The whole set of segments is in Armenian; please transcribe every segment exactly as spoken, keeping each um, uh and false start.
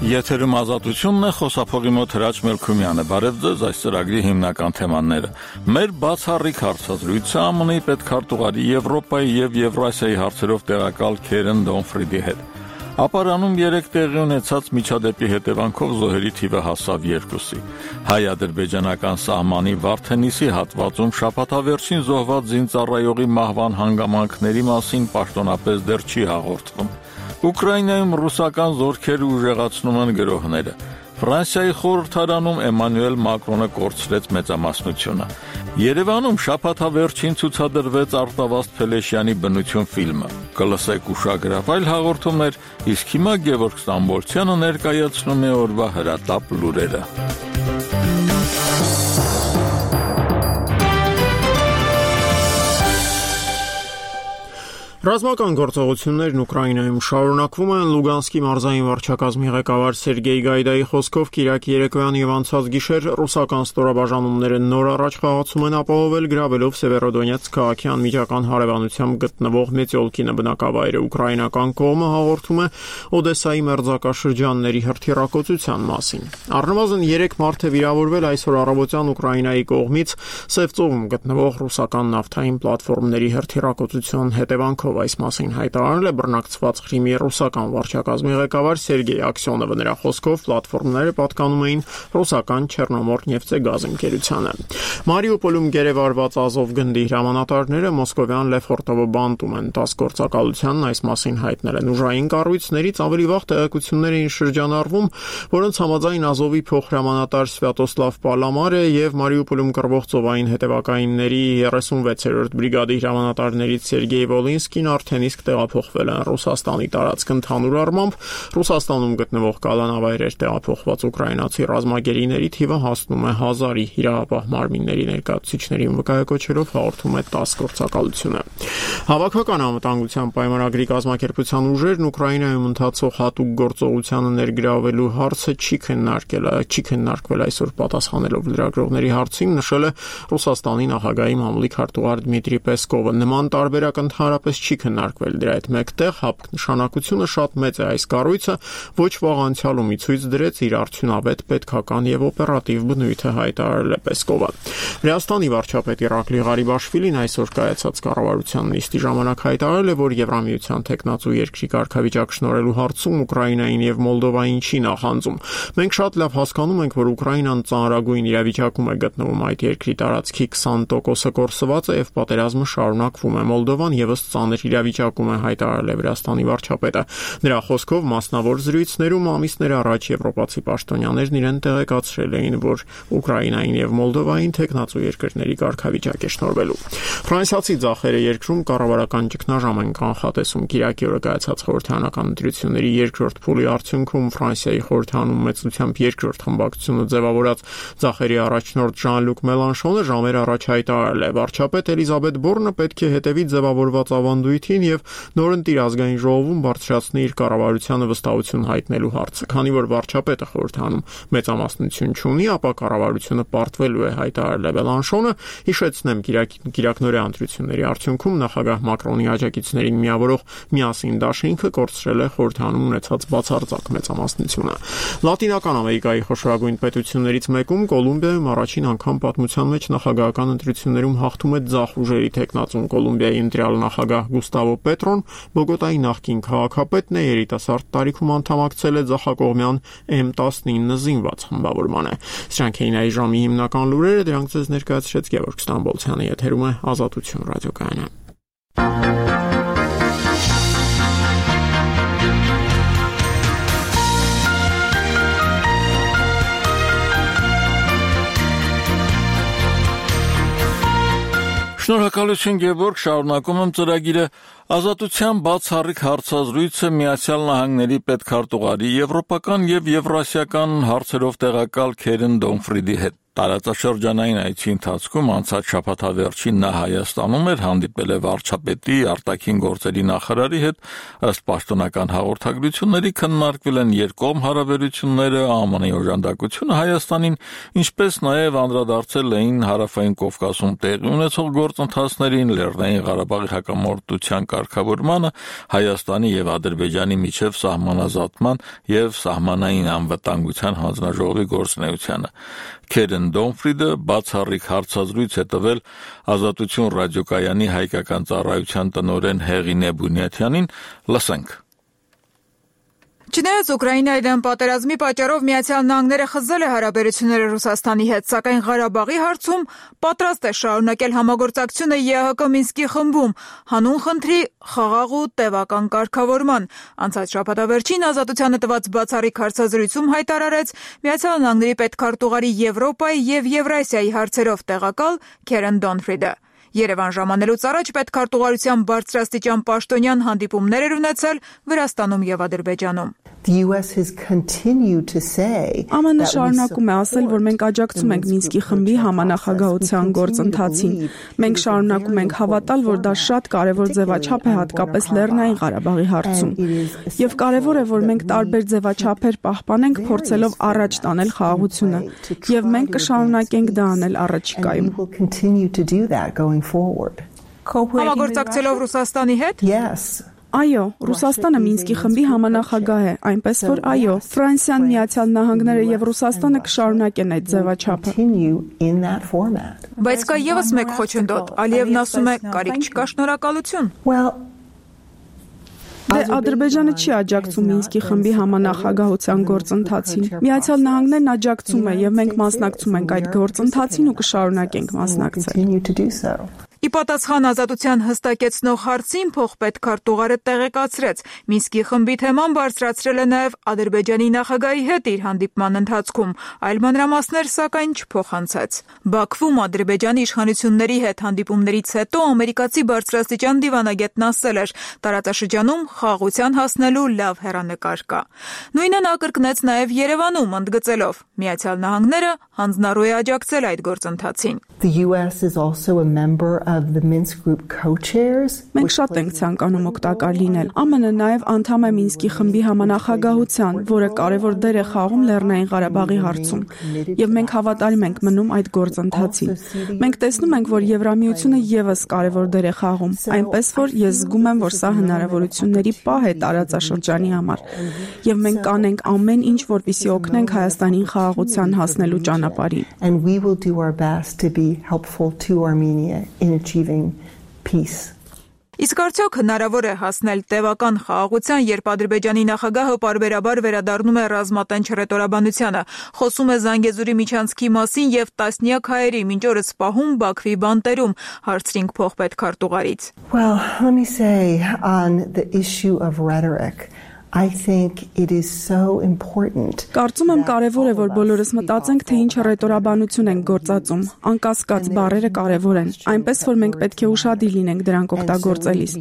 Եթերում ազատությունն է, խոսափողի մոտ Հրաչ Մելքումյանը։ Բարև ձեզ, այս ծրագրի հիմնական թեմաները։ Մեր բացառիկ հարցազրույցը ԱՄՆ-ի պետքարտուղարի Եվրոպայի եւ Եվրասիայի հարցերով տեղակալ Քերեն Դոնֆրիդի հետ։ Ապարանում երեք տեղի ունեցած միջադեպի հետևանքով զոհերի թիվը հասավ երկուսի։ Հայ-ադրբեջանական սահմանի Վարդենիսի հատվածում շաբաթավերջին զոհված զինծառայողի մահվան հանգամանքների մասին պաշտոնապես դեռ չի հաղորդվում։ Ուկրաինայում ռուսական զորքերը ուժեղացնում են գրոհները։ Ֆրանսիայի խորհրդարանում Էմանուել Մակրոնը կորցրեց մեծամասնությունը։ Երևանում շաբաթավերջին ցուցադրվեց Արտավազդ Փելեշյանի բնություն ֆիլմը։ Կլսեք ուշագրավ այլ հաղորդումներ, իսկ հիմա Գևորգ Ստամբոլցյանը ներկայացնում է օրվա հրատապ լուրերը։ Ռազմական գործողություններն Ուկրաինայում շարունակվում են։ Լուգանսկի մարզային վարչակազմի ղեկավար Սերգեյ Գայդայի խոսքով Կիրակի երեկոյան եւ անցած գիշեր ռուսական ստորաբաժանումները նոր առաջխաղացում են ապահովել գրավելով Սևերոդոնեցկ քաղաքի անմիջական հարևանությամբ գտնվող Մեծիոլկինը բնակավայրը։ Ուկրաինական կողմը հաղորդում է Օդեսայի մերձակաշրջանների հրթիռակոծության մասին։ Առնվազն երեք մարդ է վիրավորվել այսօր առավոտյան Ուկրաինայի կողմից Սև ծովում գտնվող ռուսական նավթային պլատֆորմների հրթիռակոծության հետևանքով այս մասին հայտարարել է բռնակցված Ղրիմի ռուսական վարչակազմի ղեկավար Սերգեյ Աքսյոնովը։ Նրա խոսքով պլատֆորմները պատկանում էին ռուսական Չեռնոմորնեֆտեգազ ընկերությանը։ Մարիուպոլում գերեվարված Ազով գնդի հրամանատարները մոսկովյան Լեֆորտովո բանտում են տաս գործակալությանն այս մասին հայտնել են։ Ուժային կառույցներից ավելի վաղ տեղեկություններ էին շրջանառվում, որոնց համաձայն Ազովի փոխհրամանատար Սվյատոսլավ Պալամարը եւ Մարիուպոլում կռվող ծովային հետևակայինների երեսունվեցերորդ բրիգադի հրամանատարներից Սերգեյ Վոլինսկին արդեն իսկ տեղափոխվել են Ռուսաստանի տարածք։ Ընդհանուր առմամբ Ռուսաստանում գտնվող կալանավայրեր տեղափոխված ուկրաինացի ռազմագերիների թիվը հասնում է հազարի։ Իրավապահ մարմինների ներկայացուցիչներին վկայակոչելով հաղորդում է տաս գործակալությունը։ Հավաքական անվտանգության պայմանագրի կազմակերպության ուժերն Ուկրաինայում ընթացող հատուկ գործողությանը ներգրավելու հարցը չի քննարկել, չի քննարկվել այսօր պատասխանելով լրագրողների հարցին, նշել է Ռուսաստանի նախագահի մամուլի քարտուղար Դմիտրի Պեսկովը։ Նման տարբերակ ընդհանրապես չի քննարկվել։ Դրա հետ մեկտեղ հապկ նշանակությունը շատ մեծ է։ Այս կառույցը ոչ վաղ անցյալում ցույց դրեց իր արդյունավետ պետքական եւ օպերատիվ բնույթը, հայտարարել է Պեսկովը։ Վրաստանի վարչապետ Իրակլի Ղարիբաշվիլին այսօր կայացած կառավարության նիստի ժամանակ հայտարարել է, որ Եվրամիության տեխնացու երկրի կարգավիճակ շնորհելու հարցում Ուկրաինային եւ Մոլդովային չի նախանձում։ Մենք շատ լավ հասկանում ենք, որ Ուկրաինան ծանրագույն իրավիճակում է գտնվում։ Այդ երկրի տարածքի քսան տոկոսը կորսված է եւ պատերազմը շարունակվում է։ Մոլդովան եւս ծանր իրավիճակում է, հայտարարել է Վրաստանի վարչապետը։ Նրա խոսքով մասնավոր զրույցներում ամիսներ առաջ եվրոպացի պաշտոնյաներն իրեն տեղեկացրել էին, որ Ուկրաինային եւ Մոլդովային տեխնացու երկրների կարգավիճակ է շնորհվելու։ Ֆրանսիացի ձախերը երկրում կառավարական ճգնաժամ են կանխատեսում։ Կիրակի օրը կայացած խորհրդարանական ընտրությունների երկրորդ փուլի արդյունքում Ֆրանսիայի խորհրդարանում մեծությամբ երկրորդ խմբակցությունը ձևավորած ձախերի առաջնորդ Ժան-Լուկ Մելանշոնը ժամեր առաջ հայտարարել է. վարչապետ Էլիզաբետ Բորնը պետք է հետևի ձևավորված ավանդույթին եւ նորընտիր ազգային ժողովում բարձրացնի իր կառավարությանը վստահություն հայտնելու հարցը։ Քանի որ վարչապետը խորհրդանում մեծամասնություն չունի, ապա կառավարությունը պարտվելու է, հայտարարել է Մելանշոնը։ Հիշեցնեմ, կիրակնօրյա ընտրությունների արդյունքում նախագահ Մակրոնի աջակիցներին միավորող Միասին դաշինքը կորցրել է խորհրդանում ունեցած բացարձակ մեծամասնությունը։ Լատինական Ամերիկայի խոշորագույն պետություններից մեկում Կոլումբիայում առաջին անգամ պատմության մեջ նախագահական ընտրություններում հաղթում է ձախ ուժերի տեխնացուն։ Կոլումբիայի ընտրյալ նախագահ Գուստավո Պետրոն Բոգոտայի նախկին քաղաքապետն է, երիտասարդ տարիքում անդամակցել է ձախակողմյան էմ տասնինը զինված խմբավորմանը։ Սրանք էին այս ժամի հիմնական լուրերը, դրանք ձեզ ներկայացրեց Գևորգ Ստամբոլցյանը, եթերում է Ազատություն ռադիոկայանը։ Շնորհակալություն Գևորգ, շարունակում եմ ծրագիրը։ Ազատության բացառիկ հարցազրույցը Միացյալ Նահանգների պետքարտուղարի եվրոպական եւ եվրասիական հարցերով տեղակալ Քերեն Դոնֆրիդի հետ։ Տարածաշրջանային այցի ընթացքում անցած շաբաթավերջին նա Հայաստանում էր, հանդիպել է վարչապետի, արտաքին գործերի նախարարի հետ, ըստ պաշտոնական հաղորդագրությունների քննարկվել են երկկողմ հարաբերությունները, ԱՄՆ-ի օժանդակությունը Հայաստանին, ինչպես նաև անդրադարձել էին Հարավային Կովկասում տեղի ունեցող գործընթացներին, Լեռնային Ղարաբաղի հակամարտության կարգավորմանը, Հայաստանի եւ Ադրբեջանի միջև սահմանազատման եւ սահմանային անվտանգության հանձնաժողովի գործունեությանը։ Քերեն Դոնֆրիդը բացառիկ հարցազրույց է տվել Ազատություն ռադիոկայանի հայկական ծառայության տնօրեն Հեղինե Բունյաթյանին, լսենք։ Չնայած Ուկրաինայում պատերազմի պատճառով Միացյալ Նահանգները խզել է հարաբերությունները Ռուսաստանի հետ, սակայն Ղարաբաղի հարցում պատրաստ է շարունակել համագործակցությունը ԵԱՀԿ Մինսկի խմբում, հանուն խնդրի խաղաղ ու տևական կարգավորման։ Անցած շաբաթավերջին Ազատությանը տված բացառիկ հարցազրույցում հայտարարեց Միացյալ Նահանգների պետքարտուղարի Եվրոպայի եւ Եվրասիայի հարցերով տեղակալ Քերեն Դոնֆրիդը։ Երևան ժամանելուց առաջ պետքարտուղարության բարձրաստիճան պաշտոնյան հանդիպումներ էր ունեցել Վրաստանում եւ Ադրբեջանում։ ԱՄՆ շարունակում է ասել, որ մենք աջակցում ենք Մինսկի խմբի համանախագահության գործընթացին։ Մենք շարունակում ենք հավատալ, որ դա շատ կարևոր ձևաչափ է հատկապես Լեռնային Ղարաբաղի հարցում։ Եվ կարևոր է, որ մենք տարբեր ձևաչափեր պահպանենք, փորձելով առաջ տանել խաղաղությունը։ Եվ մենք կշարունակենք դա անել առաջիկայում։ Համագործակցելով Ռուսաստանի հետ։ Yes. Այո, Ռուսաստանը Մինսկի խմբի համանախագահ է, այնպես որ այո, Ֆրանսիան, Միացյալ Նահանգները եւ Ռուսաստանը կշարունակեն այդ ձևաչափը։ Բայց կա եւս մեկ խոչընդոտ, Ալիևն ասում է, կարիք չկա, շնորհակալություն։ Դե Ադրբեջանը չի աջակցում Մինսկի խմբի համանախագահության գործընթացին։ Միացյալ Նահանգներն աջակցում է եւ մենք մասնակցում ենք այդ գործընթացին ու կշարունակենք մասնակցել։ Ի պատասխան Ազատության հստակեցնող հարցին փոխպետքարտուղարը տեղեկացրեց, Մինսկի խմբի թեման բարձրացրել է նաև Ադրբեջանի նախագահի հետ իր հանդիպման ընթացքում, այլ մանրամասներ սակայն չփոխանցեց։ Բաքվում Ադրբեջանի իշխանությունների հետ հանդիպումներից հետո ամերիկացի բարձրաստիճան դիվանագետն ասել էր, տարածաշրջանում խաղաղության հասնելու լավ հեռանկար կա։ Նույնը նա կրկնեց նաև Երևանում, ընդգծելով, Միացյալ Նահանգները հանձնառու է աջակցել այդ գործընթացին։ The U S is also a member of the Minsk group co-chairs. Մենք շատ ենք ցանկանում օգտակար լինել։ ԱՄՆ-ը նաև անդամ է Մինսկի խմբի համանախագահության, որը կարևոր դեր է խաղում Լեռնային Ղարաբաղի հարցում, եւ մենք հավատալու ենք մնում այդ գործընթացին։ Մենք տեսնում ենք, որ Եվրամիությունը եւս կարևոր դեր է խաղում, այնպես որ ես զգում եմ, որ սա հնարավորությունների պահ է տարածաշրջանի համար, եւ մենք կանենք ամեն ինչ, որպեսզի օգնենք Հայաստանին խաղաղության հասնելու ճանապարհին։ And we will do our best to be helpful to Armenia in achieving peace. Իսկ արդյոք հնարավոր է հասնել տևական խաղաղության, երբ Ադրբեջանի նախագահը պարբերաբար վերադառնում է ռազմատենչ հռետորաբանությանը, խոսում է Զանգեզուրի միջանցքի մասին եւ տասնյակ հայերի մինչ օրս պահում Բաքվի բանտերում, հարցրինք փոխպետքարտուղարից։ Well, let me say on the issue of rhetoric, I think it is so important. Կարծում եմ կարևոր է, որ բոլորս մտածենք, թե ինչ հռետորաբանություն ենք գործածում։ Անկասկած բառերը կարևոր են, այնպես որ մենք պետք է ուշադիր լինենք դրանք օգտագործելիս։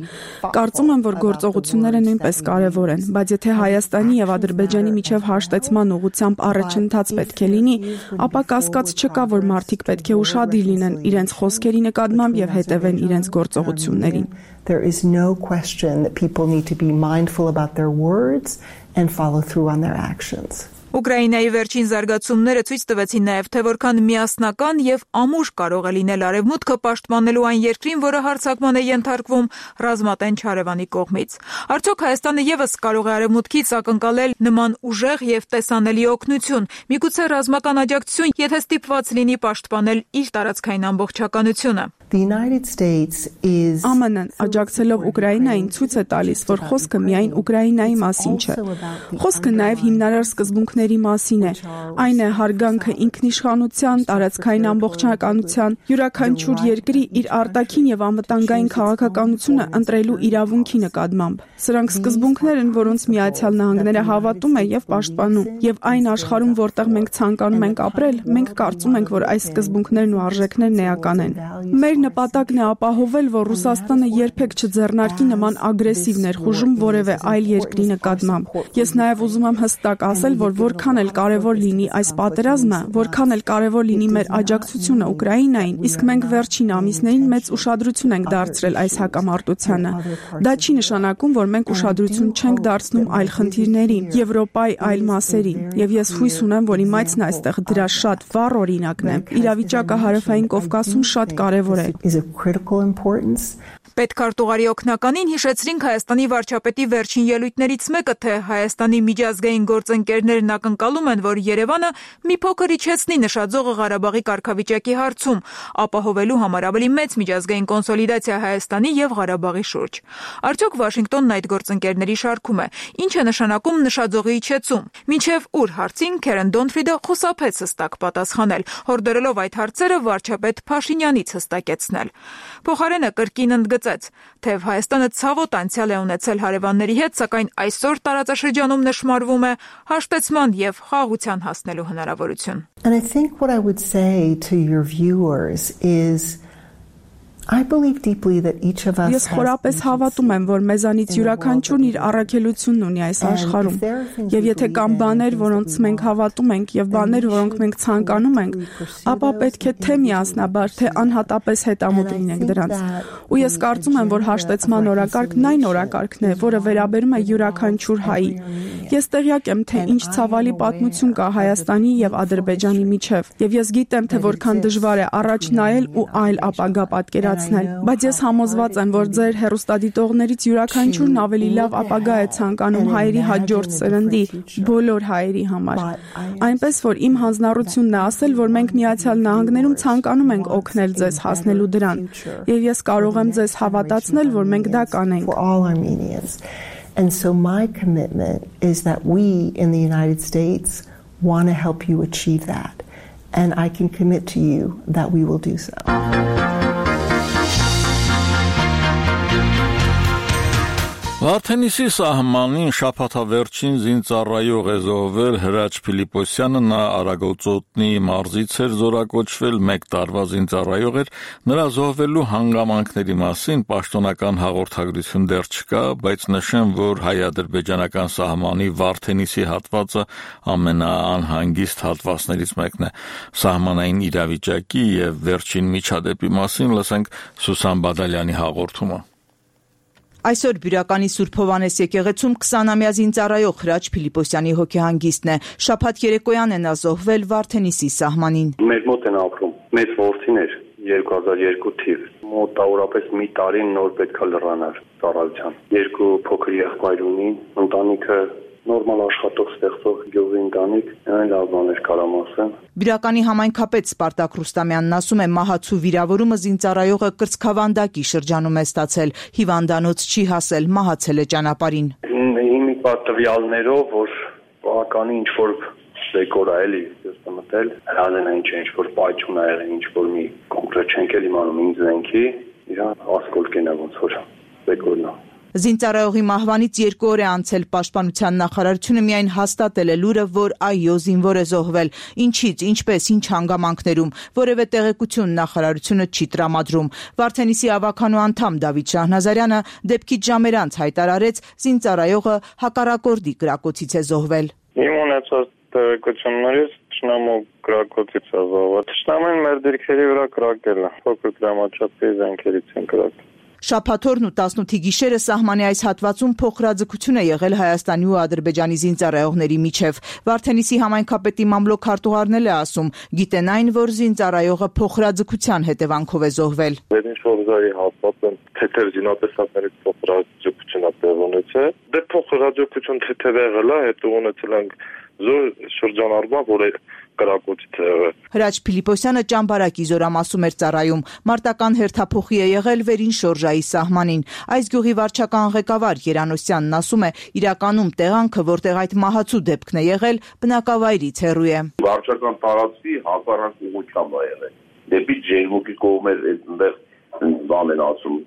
Կարծում եմ, որ գործողությունները նույնպես կարևոր են, բայց եթե Հայաստանի եւ Ադրբեջանի միջև հաշտեցման ուղղությամբ առաջընթաց պետք է լինի, ապա կասկած չկա, որ մարդիկ պետք է ուշադիր լինեն իրենց խոսքերի նկատմամբ եւ հետևեն իրենց գործողություններին։ There is no question that people need to be mindful about their words and follow through on their actions. Ուկրաինայի վերջին զարգացումները ցույց տվեցին նաև, թե որքան միասնական եւ ամուր կարող է լինել Արևմուտքը պաշտպանելու այն երկրին, որը հարձակման է ենթարկվում ռազմատենչ հարևանի կողմից։ Արդյոք Հայաստանը եւս կարող է Արևմուտքից ակնկալել նման ուժեղ եւ տեսանելի օգնություն, միգուցե ռազմական աջակցություն, եթե ստիպված լինի պաշտպանել իր տարածքային ամբողջականությունը։ The United States is ԱՄՆ-ն աջակցելով Ուկրաինային ցույց է տալիս, որ խոսքը միայն Ուկրաինայի մասին չէ։ Խոսքը նաև հիմնարար սկզբունքների մասին է։ Այն է հարգանքը ինքնիշխանության, տարածքային ամբողջականության, յուրաքանչյուր երկրի իր արտաքին եւ անվտանգային քաղաքականությունը ընտրելու իրավունքի նկատմամբ։ Սրանք սկզբունքներ են, որոնց Միացյալ Նահանգները հավատում է եւ պաշտպանում։ Եվ այն աշխարհում, որտեղ մենք ցանկանում ենք ապրել, մենք կարծում ենք, որ այս սկզբունքներն ու արժեքներն էական են։ Մեր նպատակն է ապահովել, որ Ռուսաստանը երբեք չձեռնարկի նման ագրեսիվ ներխուժում որևէ այլ երկրի նկատմամբ։ Ես նաև ուզում եմ հստակ ասել, որ որքան էլ կարևոր լինի այս պատերազմը, որքան էլ կարևոր լինի մեր աջակցությունը Ուկրաինային, իսկ մենք վերջին ամիսներին մեծ ուշադրություն ենք դարձրել այս հակամարտությանը։ Դա չի նշանակում, որ մենք ուշադրություն չենք դարձնում այլ խնդիրների, Եվրոպայի այլ մասերի, եւ ես հույս ունեմ, որ իմացն այստեղ դրա շատ վառ օրինակն է։ Իրավիճակը Հարավային Կովկասում շատ կարևոր է։ Պետքարտուղարի օգնականին հիշեցրինք Հայաստանի վարչապետի վերջին ելույթներից մեկը, թե Հայաստանի միջազգային գործընկերներն ակնկալում են, որ Երևանը մի փոքր իջեցնի նշաձողը Ղարաբաղի կարգավիճակի հարցում, ապահովելու համար ավելի մեծ միջազգային կոնսոլիդացիա Հայաստանի եւ Ղարաբաղի շուրջ։ Արդյոք Վաշինգտոնն այդ գործընկերների շարքում է։ Ինչ է նշանակում նշաձողի իջեցում։ Մինչև ուր հարցին Քերեն Դոնֆրիդը խուսափեց հստակ պատասխանել, հորդորելով այդ հարցերը վարչապետ Փաշինյանից հստակեցնել։ Փոխարենը կրկին ընդգծեց, թեև Հայաստանը ցավոտ անցյալ է ունեցել հարևանների հետ, սակայն այսօր տարածաշրջանում նշмарվում է հաշտեցման եւ խաղաղության հասնելու հնարավորություն։ And I think what I would say to your viewers is I believe deeply that each of us Ես խորապես հավատում եմ, որ մեզանից յուրաքանչյուրն իր առաքելությունն ունի այս աշխարհում։ Եվ եթե կան բաներ, որոնց մենք հավատում ենք, եւ բաներ, որոնք մենք ցանկանում ենք, ապա պետք է թե միասնաբար, թե անհատապես հետամուտ լինենք դրանց։ Ու ես կարծում եմ, որ հաշտեցման օրակարգն այն օրակարգն է, որը վերաբերում է յուրաքանչյուր հայի։ Ես տեղյակ եմ, թե ինչ ցավալի պատմություն կա Հայաստանի եւ Ադրբեջանի միջև, եւ ես գիտեմ, թե որքան դժվար է առաջ նայել ու այլ ապագա պատկերացնել, բայց ես համոզված եմ, որ ձեր հեռուստադիտողներից յուրաքանչյուրն ավելի լավ ապագա է ցանկանում հայերի հաջորդ սերնդի, բոլոր հայերի համար։ Այնպես որ իմ հանձնառությունն է ասել, որ մենք Միացյալ Նահանգներում ցանկանում ենք օգնել ձեզ հասնելու դրան, եւ ես կարող եմ ձեզ հավատացնել, որ մենք դա կանենք։ And so my commitment is that we in the United States want to help you achieve that. And I can commit to you that we will do so. Վարդենիսի սահմանին շաբաթավերջին զինծառայող է զոհվել Հրաչ Փիլիպոսյանը, նա Արագոծոտնի մարզից էր զորակոչվել, մեկ տարվա զինծառայող էր, նրա զոհվելու հանգամանքների մասին պաշտոնական հաղորդագրություն դեռ չկա, բայց նշեմ, որ հայ-ադրբեջանական սահմանի Վարդենիսի հատվածը ամենաանհանգիստ հատվածներից մեկն է։ Սահմանային իրավիճակի եւ վերջին միջադեպի մասին լսենք Սուսան Բադալյանի հաղորդումը։ Այսօր Բյուրականի Սուրբ Հովհաննես եկեղեցում քսանամյա զինծառայող Հրաչ Փիլիպոսյանի հոգեհանգիստն է։ Շաբաթ երեկոյան է նա զոհվել Վարդենիսի սահմանին։ Մեր մոտ են ապրում մեծ որդին էր երկու հազար երկու թիվ։ Մոտավորապես մի տարին նոր պետքա լրանար ծառայության։ Երկու փոքր եղբայր ունի, ընտանիքը նորմալ աշխատող ստեղծող գյուղի ընտանիք, այն լավ բաներ կարամ ասեմ։ Բյուրականի համայնքապետ Սպարտակ Ռուստամյանն ասում է, մահացու վիրավորումը զինծառայողը կրծքավանդակի շրջանում է ստացել, հիվանդանոց չի հասել, մահացել է ճանապարհին։ Հիմի պատվյալներով, որ բավականի ինչ որ դեկոր է էլի, ես մտել, հրազենա ինչ ինչ որ պայթյուն ա եղել, ինչ որ մի կոնկրետ չենք էլ իմանում ինձ զենքի, իրան ասկոլկեն է ոնց որ դեկորն է։ Զինծառայողի մահվանից երկու օր է անցել, Պաշտպանության նախարարությունը միայն հաստատել է լուրը, որ այո, զինվոր է զոհվել։ Ինչից, ինչպես, ինչ հանգամանքներում, որևէ տեղեկություն նախարարությունը չի տրամադրում։ Վարդենիսի ավականու անդամ Դավիթ Շահնազարյանը դեպքից ժամեր անց հայտարարեց, զինծառայողը հակառակորդի կրակոցից է զոհվել։ Իմ ունեցած տեղեկություններից Թշնամու կրակոցից է զոհվել։ Թշնամին մեր դիրքերի վրա կրակել է, փոքր դրամաչափի զենքերից են կրակել։ Շաբաթօրն ու տասնութի գիշերը սահմանի այս հատվածում փոխհրաձգություն է եղել Հայաստանի ու Ադրբեջանի զինծառայողների միջև։ Վարդենիսի համայնքապետի մամլոք քարտուղարն է ասում, գիտեն այն, որ զինծառայողը փոխհրաձգության հետևանքով է զոհվել։ Վերնիշորզայի հատվածում թեթև զինատեսակներից փոխհրաձգություն է տեղ ունեցել։ Դե փոխհրաձգություն թեթև եղել է, հետո ունեցել ենք զոր շրջանառման, որը կրակոցից է եղել։ Հրաչ Փիլիպոսյանը Ճամբարակի զորամասում էր ծառայում, մարտական հերթափոխի է եղել Վերին Շորժայի սահմանին։ Այս գյուղի վարչական ղեկավար Երանոսյանն ասում է, իրականում տեղանքը, որտեղ այդ մահացու դեպքն է եղել, բնակավայրից հեռու է։ Վարչական տարածքի հակառակ ուղղությամբ է եղել։ Դեպի Ջերմուկի կողմեր այնտեղ բան են ասում,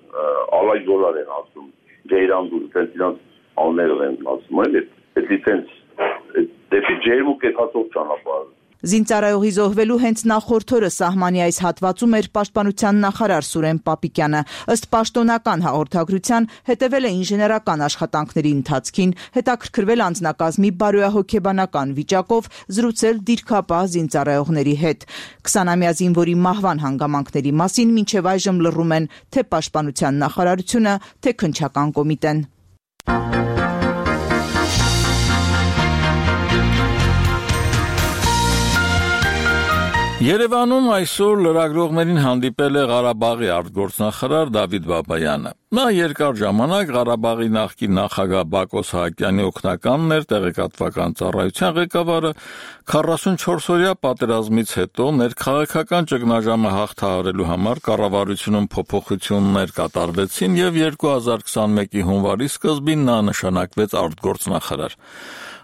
Ալայգոլար են ասում, Ջեյրանդու, այդպես իրանց աններով են ասում, այլ այդ լիցենզ դեպի Ջերմուկ եկածող ճանապարհ։ Զինծառայողի զոհվելու հենց նախորդ օրը սահմանի այս հատվածում էր պաշտպանության նախարար Սուրեն Պապիկյանը։ Ըստ պաշտոնական հաղորդագրության հետևել է ինժեներական աշխատանքների ընթացքին, հետաքրքրվել անձնակազմի բարոյահոգեբանական վիճակով, զրուցել դիրքապահ զինծառայողների հետ։ քսանամյա զինվորի մահվան հանգամանքների մասին մինչև այժմ լռում են թե պաշտպանության նախարարությունը, թե քննչական կոմիտեն։ Երևանում այսօր լրագրողներին հանդիպել է Ղարաբաղի արտգործնախարար Դավիթ Բաբայանը։ Նա երկար ժամանակ Ղարաբաղի նախկին նախագահ Բակո Սահակյանի օգնականն էր, տեղեկատվական ծառայության ղեկավարը, քառասունչորսօրյա պատերազմից հետո ներքաղաքական ճգնաժամը հաղթահարելու համար կառավարությունում փոփոխություններ կատարվեցին եւ երկու հազար քսանմեկի հունվարի սկզբին նա նշանակվեց արտգործնախարար։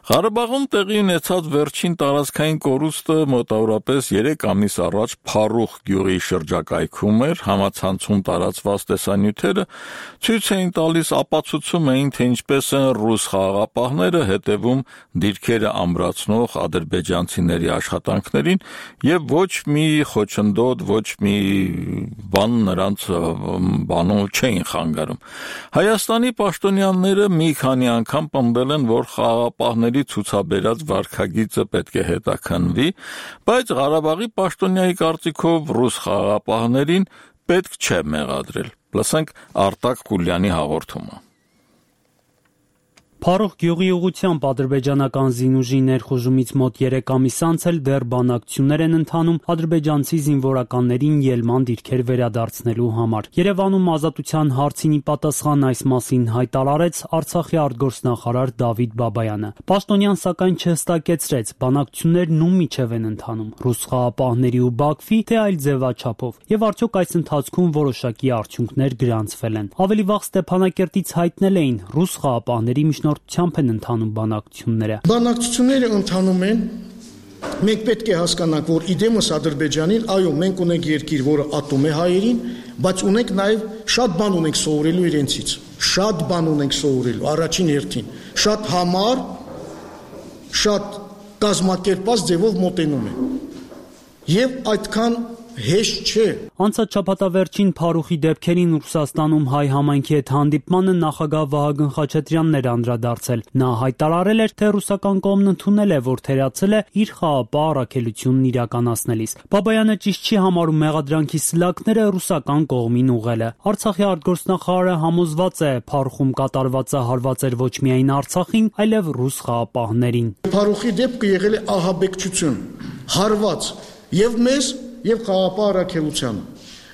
Ղարաբաղում տեղի ունեցած վերջին տարածքային կորուստը մոտավորապես երեք ամիս առաջ Փարուխ գյուղի շրջակայքում էր, համացանցում տարածված տեսանյութերը ցույց էին տալիս, ապացուցում էին, թե ինչպես են ռուս խաղաղապահները հետևում դիրքերը ամրացնող ադրբեջանցիների աշխատանքներին եւ ոչ մի խոչընդոտ, ոչ մի բան նրանց բանով չէին խանգարում։ Հայաստանի պաշտոնյաները մի քանի անգամ պնդել են, որ խաղաղապահները ցուցաբերած վարքագիծը պետք է հետաքննվի, բայց Ղարաբաղի պաշտոնյայի կարծիքով ռուս խաղաղապահներին պետք չէ մեղադրել։ Լսենք Արտակ Խուլյանի հաղորդումը։ Փարուխ գյուղի ուղղությամբ ադրբեջանական զինուժի ներխուժումից մոտ երեք ամիս անց էլ դեռ բանակցություններ են ընթանում ադրբեջանցի զինվորականներին ելման դիրքեր վերադարձնելու համար։ Երևանում ազատության հարցին ի պատասխան այս մասին հայտարարեց Արցախի արտգործնախարար Դավիթ Բաբայանը։ Պաշտոնյան սակայն չհստակեցրեց, բանակցություններն ում միջև են ընթանում՝ ռուս խաղաղապահների ու Բաքվի, թե այլ ձևաչափով, եւ արդյոք այս ընթացքում որոշակի արդյունքներ գրանցվել են։ Ավելի վաղ Ստեփանակերտից հայտնել էին ռուս խաղաղապահների միջնորդությամբ են ընթանում բանակցությունները։ Բանակցությունները ընթանում են։ Մենք պետք է հասկանանք, որ իդեմս Ադրբեջանին, այո, մենք ունենք երկիր, որը ատում է հայերին, բայց ունենք նաև շատ բան ունենք սովորելու իրենցից։ Շատ բան ունենք սովորելու առաջին հերթին։ Շատ համառ, շատ կազմակերպված ձևով մոտենում են։ Եվ այդքան հեշտ չէ։ Անցած շաբաթավերջին Փարուխի դեպքերին Ռուսաստանում հայ համայնքի հետ հանդիպմանը նախագահ Վահագն Խաչատրյանն էր անդրադարձել։ Նա հայտարարել էր, թե ռուսական կողմն ընդունել է, որ թերացել է իր խաղաղապահ առաքելությունն իրականացնելիս։ Բաբայանը ճիշտ չի համարում մեղադրանքի սլաքները ռուսական կողմին ուղղելը։ Արցախի արտգործնախարարը համոզված է, Փարուխում կատարվածը հարված էր ոչ միայն Արցախին, այլև ռուս խաղաղապահներին։ Փարուխի դեպքը եղել է ահաբեկչություն, հարված եւ մեզ եւ խաղաղապահ առաքելությանը,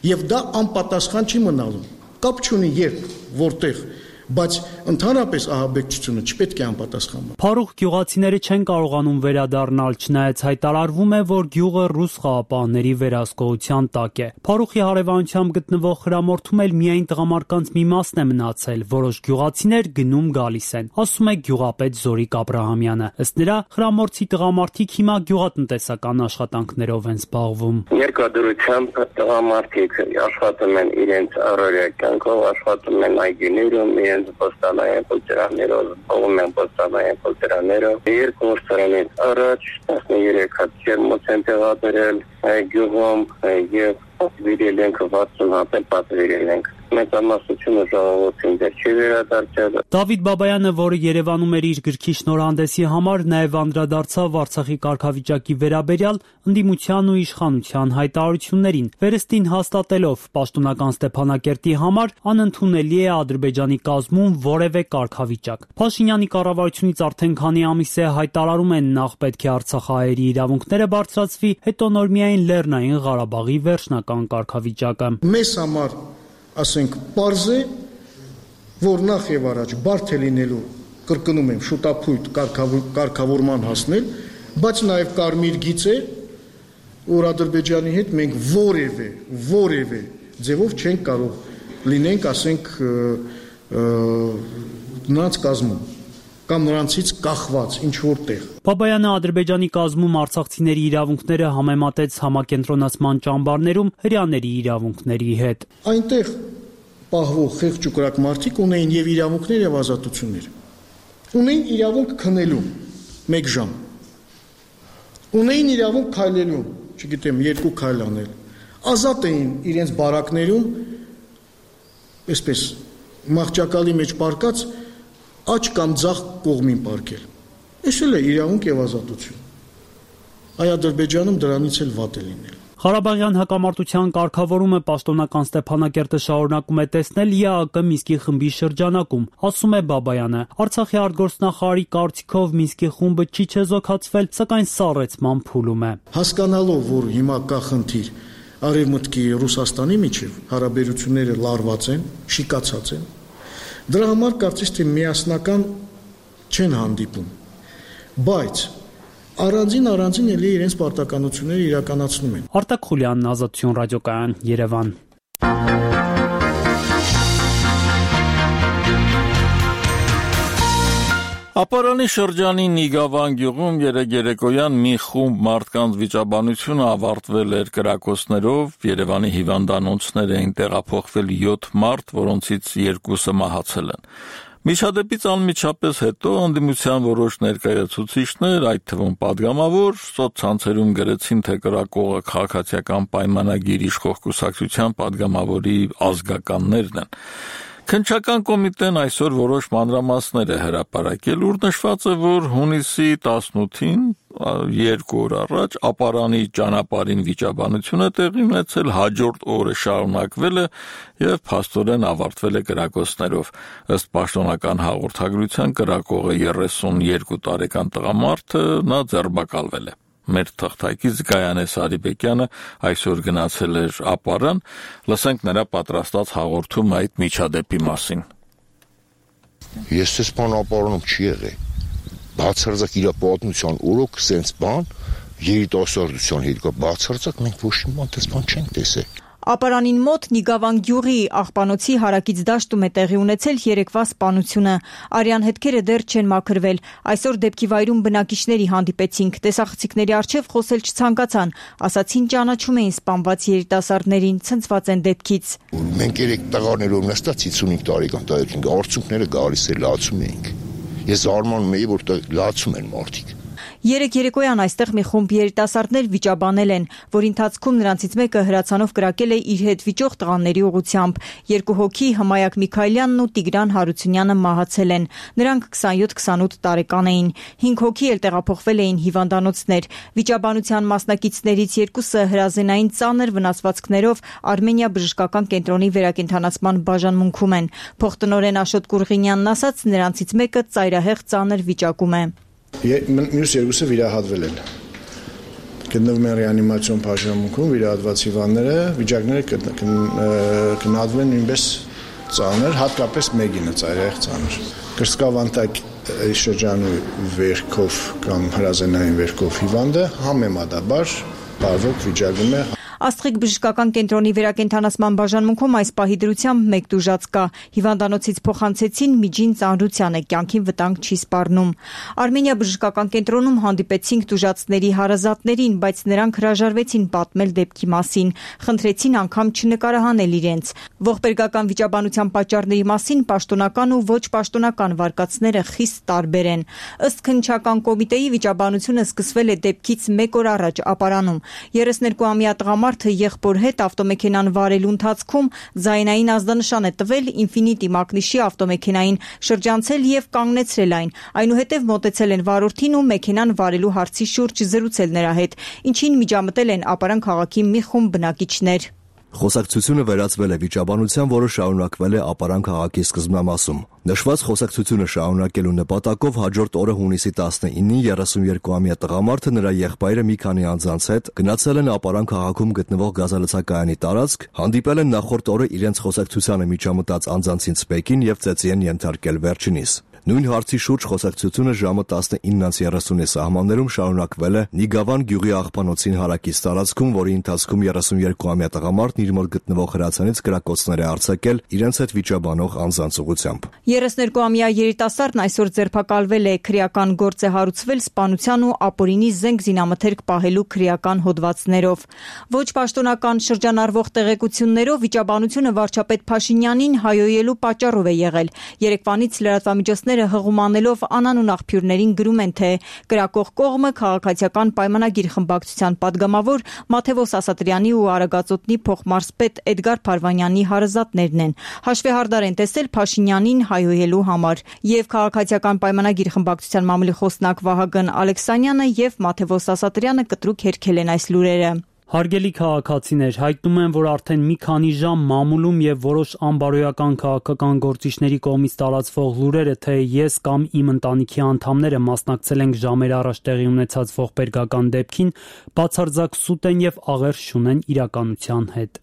եւ դա անպատասխան չի մնալու։ Կապ չունի երբ, որտեղ, բայց ընդհանրապես ահաբեկչությունը չպետք է անպատասխան մնա։ Փարուխ գյուղացիները չեն կարողանում վերադառնալ, չնայած հայտարարվում է, որ գյուղը ռուս խաղաղապահների վերահսկողության տակ է։ Փարուխի հարևանությամբ գտնվող խրամորթում էլ միայն տղամարդկանց մի մասն է մնացել, որոշ գյուղացիներ գնում գալիս են, ասում է գյուղապետ Զորիկ Աբրահամյանը։ Ըստ նրա, խրամորթի տղամարդիկ հիմա գյուղատնտեսական աշխատանքներով են զբաղվում։ Երկրադրությամբ տղամարդիկ աշխատում են իրենց առօրյա կյանքով, աշխատում են այգիներում, իրենց պոստանային կոլտերաներով, ողում են պոստանային կոլտերաներով։ Երկու տարիներ առաջ տասներեք հատ ջերմոց են տեղադրել գյուղում եւ պատվիրել ենք վաթսուն հատ պատվիրել ենք։ Մեծամասնությունը ժողովրդին դեռ չի վերադարձել։ Դավիթ Բաբայանը, որը Երևանում էր իր գրքի շնորհանդեսի համար, նաև անդրադարձավ Արցախի կարգավիճակի վերաբերյալ ընդդիմության ու իշխանության հայտարարություններին, վերստին հաստատելով պաշտոնական Ստեփանակերտի համար անընդունելի է Ադրբեջանի կազմում որևէ կարգավիճակ։ Փաշինյանի կառավարությունից արդեն քանի ամիս է հայտարարում են նախ պետք է արցախահայերի իրավունքները բարձրացվի, հետո նոր միայն Լեռնային Ղարաբաղի վերջնական կարգավիճակը։ Մեզ համար ասենք պարզ է, որ նախ եւ առաջ բարդ է լինելու, կրկնում եմ, շուտապույտ կարգավորման հասնել, բայց նաեւ կարմիր գիծ է, որ Ադրբեջանի հետ մենք որևէ, որևէ ձևով չենք կարող լինենք, ասենք, նրանց կազմում կամ նրանցից կախված ինչ որտեղ։ Բաբայանը Ադրբեջանի կազմում արցախցիների իրավունքները համեմատեց համակենտրոնացման ճամբարներում հրեաների իրավունքների հետ։ Այնտեղ պահվող խեղճ ու կրակ մարդիկ ունեին եւ իրավունքներ եւ ազատություններ։ Ունեին իրավունք քնելու մեկ ժամ։ ունեին իրավունք քայլելու, չգիտեմ, երկու քայլ անել, ազատ էին իրենց բարակներում, այսպես մահճակալի մեջ պարկած աջ կամ ձախ կողմին պարկել։ Այս էլ է իրավունք եւ ազատություն։ Այ Ադրբեջանում դրանից էլ վատ է լինել։ Ղարաբաղյան հակամարտության կարգավորումը պաշտոնական Ստեփանակերտը շարունակում է տեսնել ԵԱԿ Մինսկի խմբի շրջանակում, ասում է Բաբայանը։ Արցախի արտգործնախարարի կարծիքով Մինսկի խումբը չի չեզոքացվել, սակայն սառեցման փուլում է։ Հասկանալով, որ հիմա կա խնդիր Արևմուտքի եւ Ռուսաստանի միջև, հարաբերությունները լարված են, շիկացած են։ Դրա համար կարծես թե միասնական չեն հանդիպում։ Բայց Առանձին առանձին էլի իրենց պարտականությունները իրականացնում են։ Արտակ Խուլյանն, Ազատություն ռադիոկայան, Երևան։ Ապարանի շրջանի Նիգավան գյուղում երեկ երեկոյան մի խումբ մարդկանց վիճաբանությունը ավարտվել էր կրակոցներով, Երևանի հիվանդանոցներ էին տեղափոխվել յոթ մարդ, որոնցից երկուսը մահացել են։ Միջադեպից անմիջապես հետո ընդդիմության որոշ ներկայացուցիչներ, այդ թվում падգամավոր, սոցցանցերում գրեցին, թե կրակողը քաղաքացիական պայմանագիր իշխող կուսակցության падգամավորի ազգականներն են։ Քննչական կոմիտեն այսօր որոշ մանրամասներ է հրապարակել, ուր նշված է, որ հունիսի տասնութին, երկու օր առաջ, Ապարանի ճանապարհին վիճաբանությունը տեղի ունեցել, հաջորդ օրը շարունակվել է եւ փաստորեն ավարտվել է կրակոցներով։ Ըստ պաշտոնական հաղորդագրության կրակողը երեսունյոթ տարեկան տղամարդը նա ձերբակալվել է։ Մեր թղթակից Գայանե Սարիբեկյանը այսօր գնացել էր Ապարան, լսենք նրա պատրաստած հաղորդումը այդ միջադեպի մասին։ Ես ես բան Ապարանում չի եղել։ Բացարձակ իր պատմության օրոք սենց բան, երիտասարդության հետ կա բացարձակ մենք ոչ մի բան դες բան չենք տեսել։ Ապարանին մոտ Նիգավան գյուղի աղբանոցի հարակից դաշտում է տեղի ունեցել երեկվա սպանությունը։ Արյան հետքերը դեռ չեն մաքրվել։ Այսօր դեպքի վայրում բնակիչների հանդիպեցինք, տեսախցիկների առջև խոսել չցանկացան, ասացին ճանաչում էին սպանված երիտասարդներին, ցնցված են դեպքից։ Մենք երեք տղաներով նստած հիսունհինգ տարեկան տարեկան արդյունքները գալիս է լացում էինք։ Ես արմանում էի, որ լացում են մարդիկ։ Երեք երեկոյան այստեղ մի խումբ երիտասարդներ վիճաբանել են, որի ընթացքում նրանցից մեկը հրացանով կրակել է իր հետ վիճող տղաների ուղղությամբ։ Երկու հոգի Հմայակ Միքայելյանն ու Տիգրան Հարությունյանը մահացել են։ Նրանք քսանյոթ քսանութ տարեկան էին։ Հինգ հոգի էլ տեղափոխվել էին հիվանդանոցներ։ Վիճաբանության մասնակիցներից երկուսը հրազենային ծանր վնասվածքներով Արմենիա բժշկական կենտրոնի վերակենդանացման բաժանմունքում են։ Փոխտնօրեն Աշոտ Կուրղինյանն ասաց, նրանցից մեկը ծայրահեղ ծանր վիճակում է։ Մյուս երկուսը վիրահատվել են։ Գտնվում են ռեանիմացիոն բաժանմունքում, վիրահատված հիվանդները, վիճակները գնահատվել են նույնպես ծանր, հատկապես մեկինը ծայրահեղ ծանր։ Կրծքավանդակ շրջանի վերքով կամ հրազենային վերքով հիվանդը համեմատաբար բարվոք վիճակում է։ Աստղիկ բժշկական կենտրոնի վերակենդանացման բաժանմունքում այս պահի դրությամբ մեկ տուժած կա։ Հիվանդանոցից փոխանցեցին միջին ծանրությանը, կյանքին վտանգ չի սպառնում։ Արմենիա բժշկական կենտրոնում հանդիպեցինք տուժածների հարազատներին, բայց նրանք հրաժարվեցին պատմել դեպքի մասին, խնդրեցին անգամ չնկարահանել իրենց։ Ողբերգական վիճաբանության պատճառների մասին պաշտոնական ու ոչ պաշտոնական վարկածները խիստ տարբեր են։ Ըստ քննչական կոմիտեի վիճաբանությունը սկսվել է դեպքից մեկ օր առաջ Ապարանում։ երեսներկուամյա տղամարդը եղբոր հետ ավտոմեքենան վարելու ընթացքում ձայնային ազդանշան է տվել Infiniti մակնիշի ավտոմեքենային, շրջանցել եւ կանգնեցրել այն։ Այնուհետև մոտեցել են վարորդին ու մեքենան վարելու հարցի շուրջ զրուցել նրա հետ, ինչին միջամտել են Ապարան քաղաքի մի խումբ բնակիչներ։ Խոսակցությունը վերածվել է վիճաբանության, որը շարունակվել է Ապարան քաղաքի սկզբնամասում։ Նշված խոսակցությունը շարունակելու նպատակով հաջորդ օրը հունիսի տասնինին երեսունյոթամյա տղամարդը նրա եղբայրը մի քանի անձանց հետ գնացել են Ապարան քաղաքում գտնվող գազալցակայանի տարածք, հանդիպել են նախորդ օրը իրենց խոսակցությանը միջամտած անձանցից մեկին եւ ծեծի են ենթարկել վերջինիս։ Նույն հարցի շուրջ խոսակցությունը ժամը տասնինը երեսունի սահմաններում շարունակվել է Նիգավան գյուղի աղբանոցին հարակից տարածքում, որի ընթացքում երեսունյոթամյա տղամարդն իր մոտ գտնվող հրացանից կրակոցներ է արձակել իրենց հետ վիճաբանող անձանց ուղղությամբ։ երեսներկուամյա երիտասարդն այսօր ձերբակալվել է, քրեական գործ է հարուցվել սպանության ու ապօրինի զենք զինամթերք պահելու քրեական հոդվածներով։ Ոչ պաշտոնական շրջանառվող տեղեկություններով վիճաբանությունը վարչապետ Փաշինյանին հայոյելու պատճառով է եղել։ Երեկվանից լրատվամիջոցները ուսանողները հղումանելով անանուն աղբյուրներին գրում են, թե կրակող կողմը քաղաքացիական պայմանագիր խմբակցության падգամավոր Մաթևոս Ասատրյանի ու Արագածոտնի փոխմարզպետ Էդգար Փարվանյանի հարազատներն են։ Հաշվեհարդար են տեսել Փաշինյանին հայհոյելու համար եւ քաղաքացիական պայմանագիր խմբակցության մամուլի խոսնակ Վահագն Ալեքսանյանը եւ Մաթևոս Ասատրյանը կտրուկ հերքել են այս լուրերը։ Հարգելի քաղաքացիներ, հայտնում են, որ արդեն մի քանի ժամ մամուլում եւ որոշ անբարոյական քաղաքական գործիչների կողմից տարածվող լուրերը, թե ես կամ իմ ընտանիքի անդամները մասնակցել ենք ժամեր առաջ տեղի ունեցած ողբերգական դեպքին, բացարձակ սուտ են եւ աղերս չունեն իրականության հետ։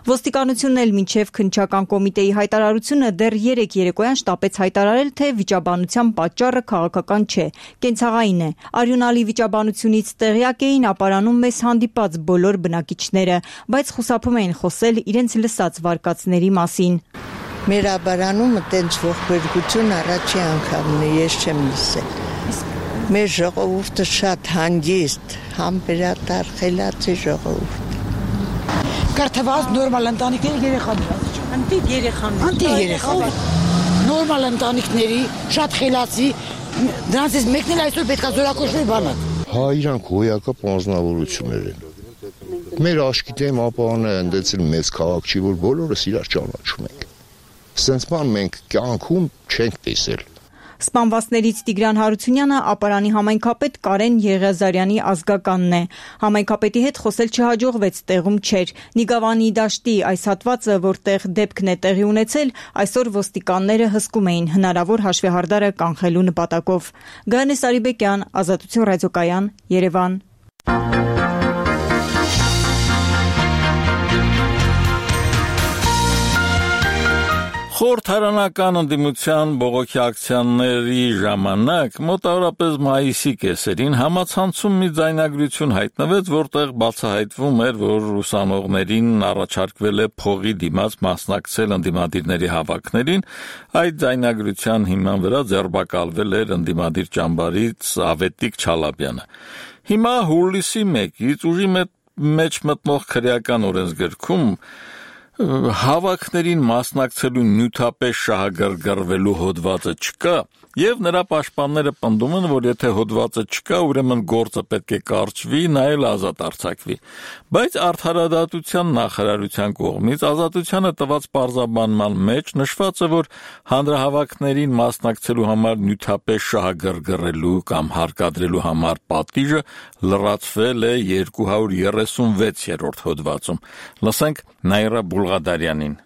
Ոստիկանությունն էլ մինչև քննչական կոմիտեի հայտարարությունը դեռ երեկ երեկոյան շտապեց հայտարարել, թե վիճաբանության պատճառը քաղաքական չէ, կենցաղային է։ Արյունալի վիճաբանությունից տեղյակ էին ապարանում մեզ հանդիպած բոլոր բնակիչները, բայց խուսափում էին խոսել իրենց լսած վարկածների մասին։ Մեր ապարանում տենց ողբերգություն առաջի անգամն է, ես չեմ լսել։ Մեր ժողովուրդը շատ հանգիստ, համբերատար, խելացի ժողովուրդ։ Կարթված նորմալ ընտանիքների երեխաներ։ Անտիկ երեխաներ։ Անտիկ երեխաներ։ Նորմալ ընտանիքների շատ խելացի, դրանցից մեկն էլ այսօր պետք է զորակոչվի բանը։ Հա, իրանք հոյակապ անձնավորություններ են։ Մեր աշկիտեմ ապանը ընդեցել մեծ քաղաք չի, որ բոլորս իրար ճանաչում ենք։ Սենց բան մենք կյանքում չենք տեսել։ Սպանվածներից Տիգրան Հարությունյանը ապարանի համայնքապետ Կարեն Եղիազարյանի ազգականն է։ Համայնքապետի հետ խոսել չհաջողվեց, տեղում չէր։ Նիգավանի դաշտի այս հատվածը, որտեղ դեպքն է տեղի ունեցել, այսօր ոստիկանները հսկում էին հնարավոր հաշվեհարդարը կանխելու նպատակով։ Գայանե Սարիբեկյան, Ազատություն ռադիոկայան, Երևան։ Խորհրդարանական ընդդիմության բողոքի ակցիաների ժամանակ մոտավորապես մայիսի կեսերին համացանցում մի ձայնագրություն հայտնվեց, որտեղ բացահայտվում էր, որ ուսանողներին առաջարկվել է փողի դիմաց մասնակցել ընդդիմադիրների հավաքներին, այդ ձայնագրության հիման վրա ձերբակալվել էր ընդդիմադիր ճամբարից Ավետիք Չալաբյանը։ Հիմա հուլիսի մեկից ուժի մեջ մտնող քրեական օրենսգրքում հավաքներին մասնակցելու նյութապես շահագրգռվելու հոդվածը չկա, եւ նրա պաշտպանները պնդում են, որ եթե հոդվածը չկա, ուրեմն գործը պետք է կարճվի, նա էլ ազատ արձակվի։ Բայց Արդարադատության նախարարության կողմից ազատությանը տված պարզաբանման մեջ նշված է, որ հանրահավաքներին մասնակցելու համար նյութապես շահագրգռելու կամ հարկադրելու համար պատիժը լրացվել է երկու հարյուր երեսունվեցերորդ հոդվածում։ Լսենք Նաիրա Բուլղադարյանին։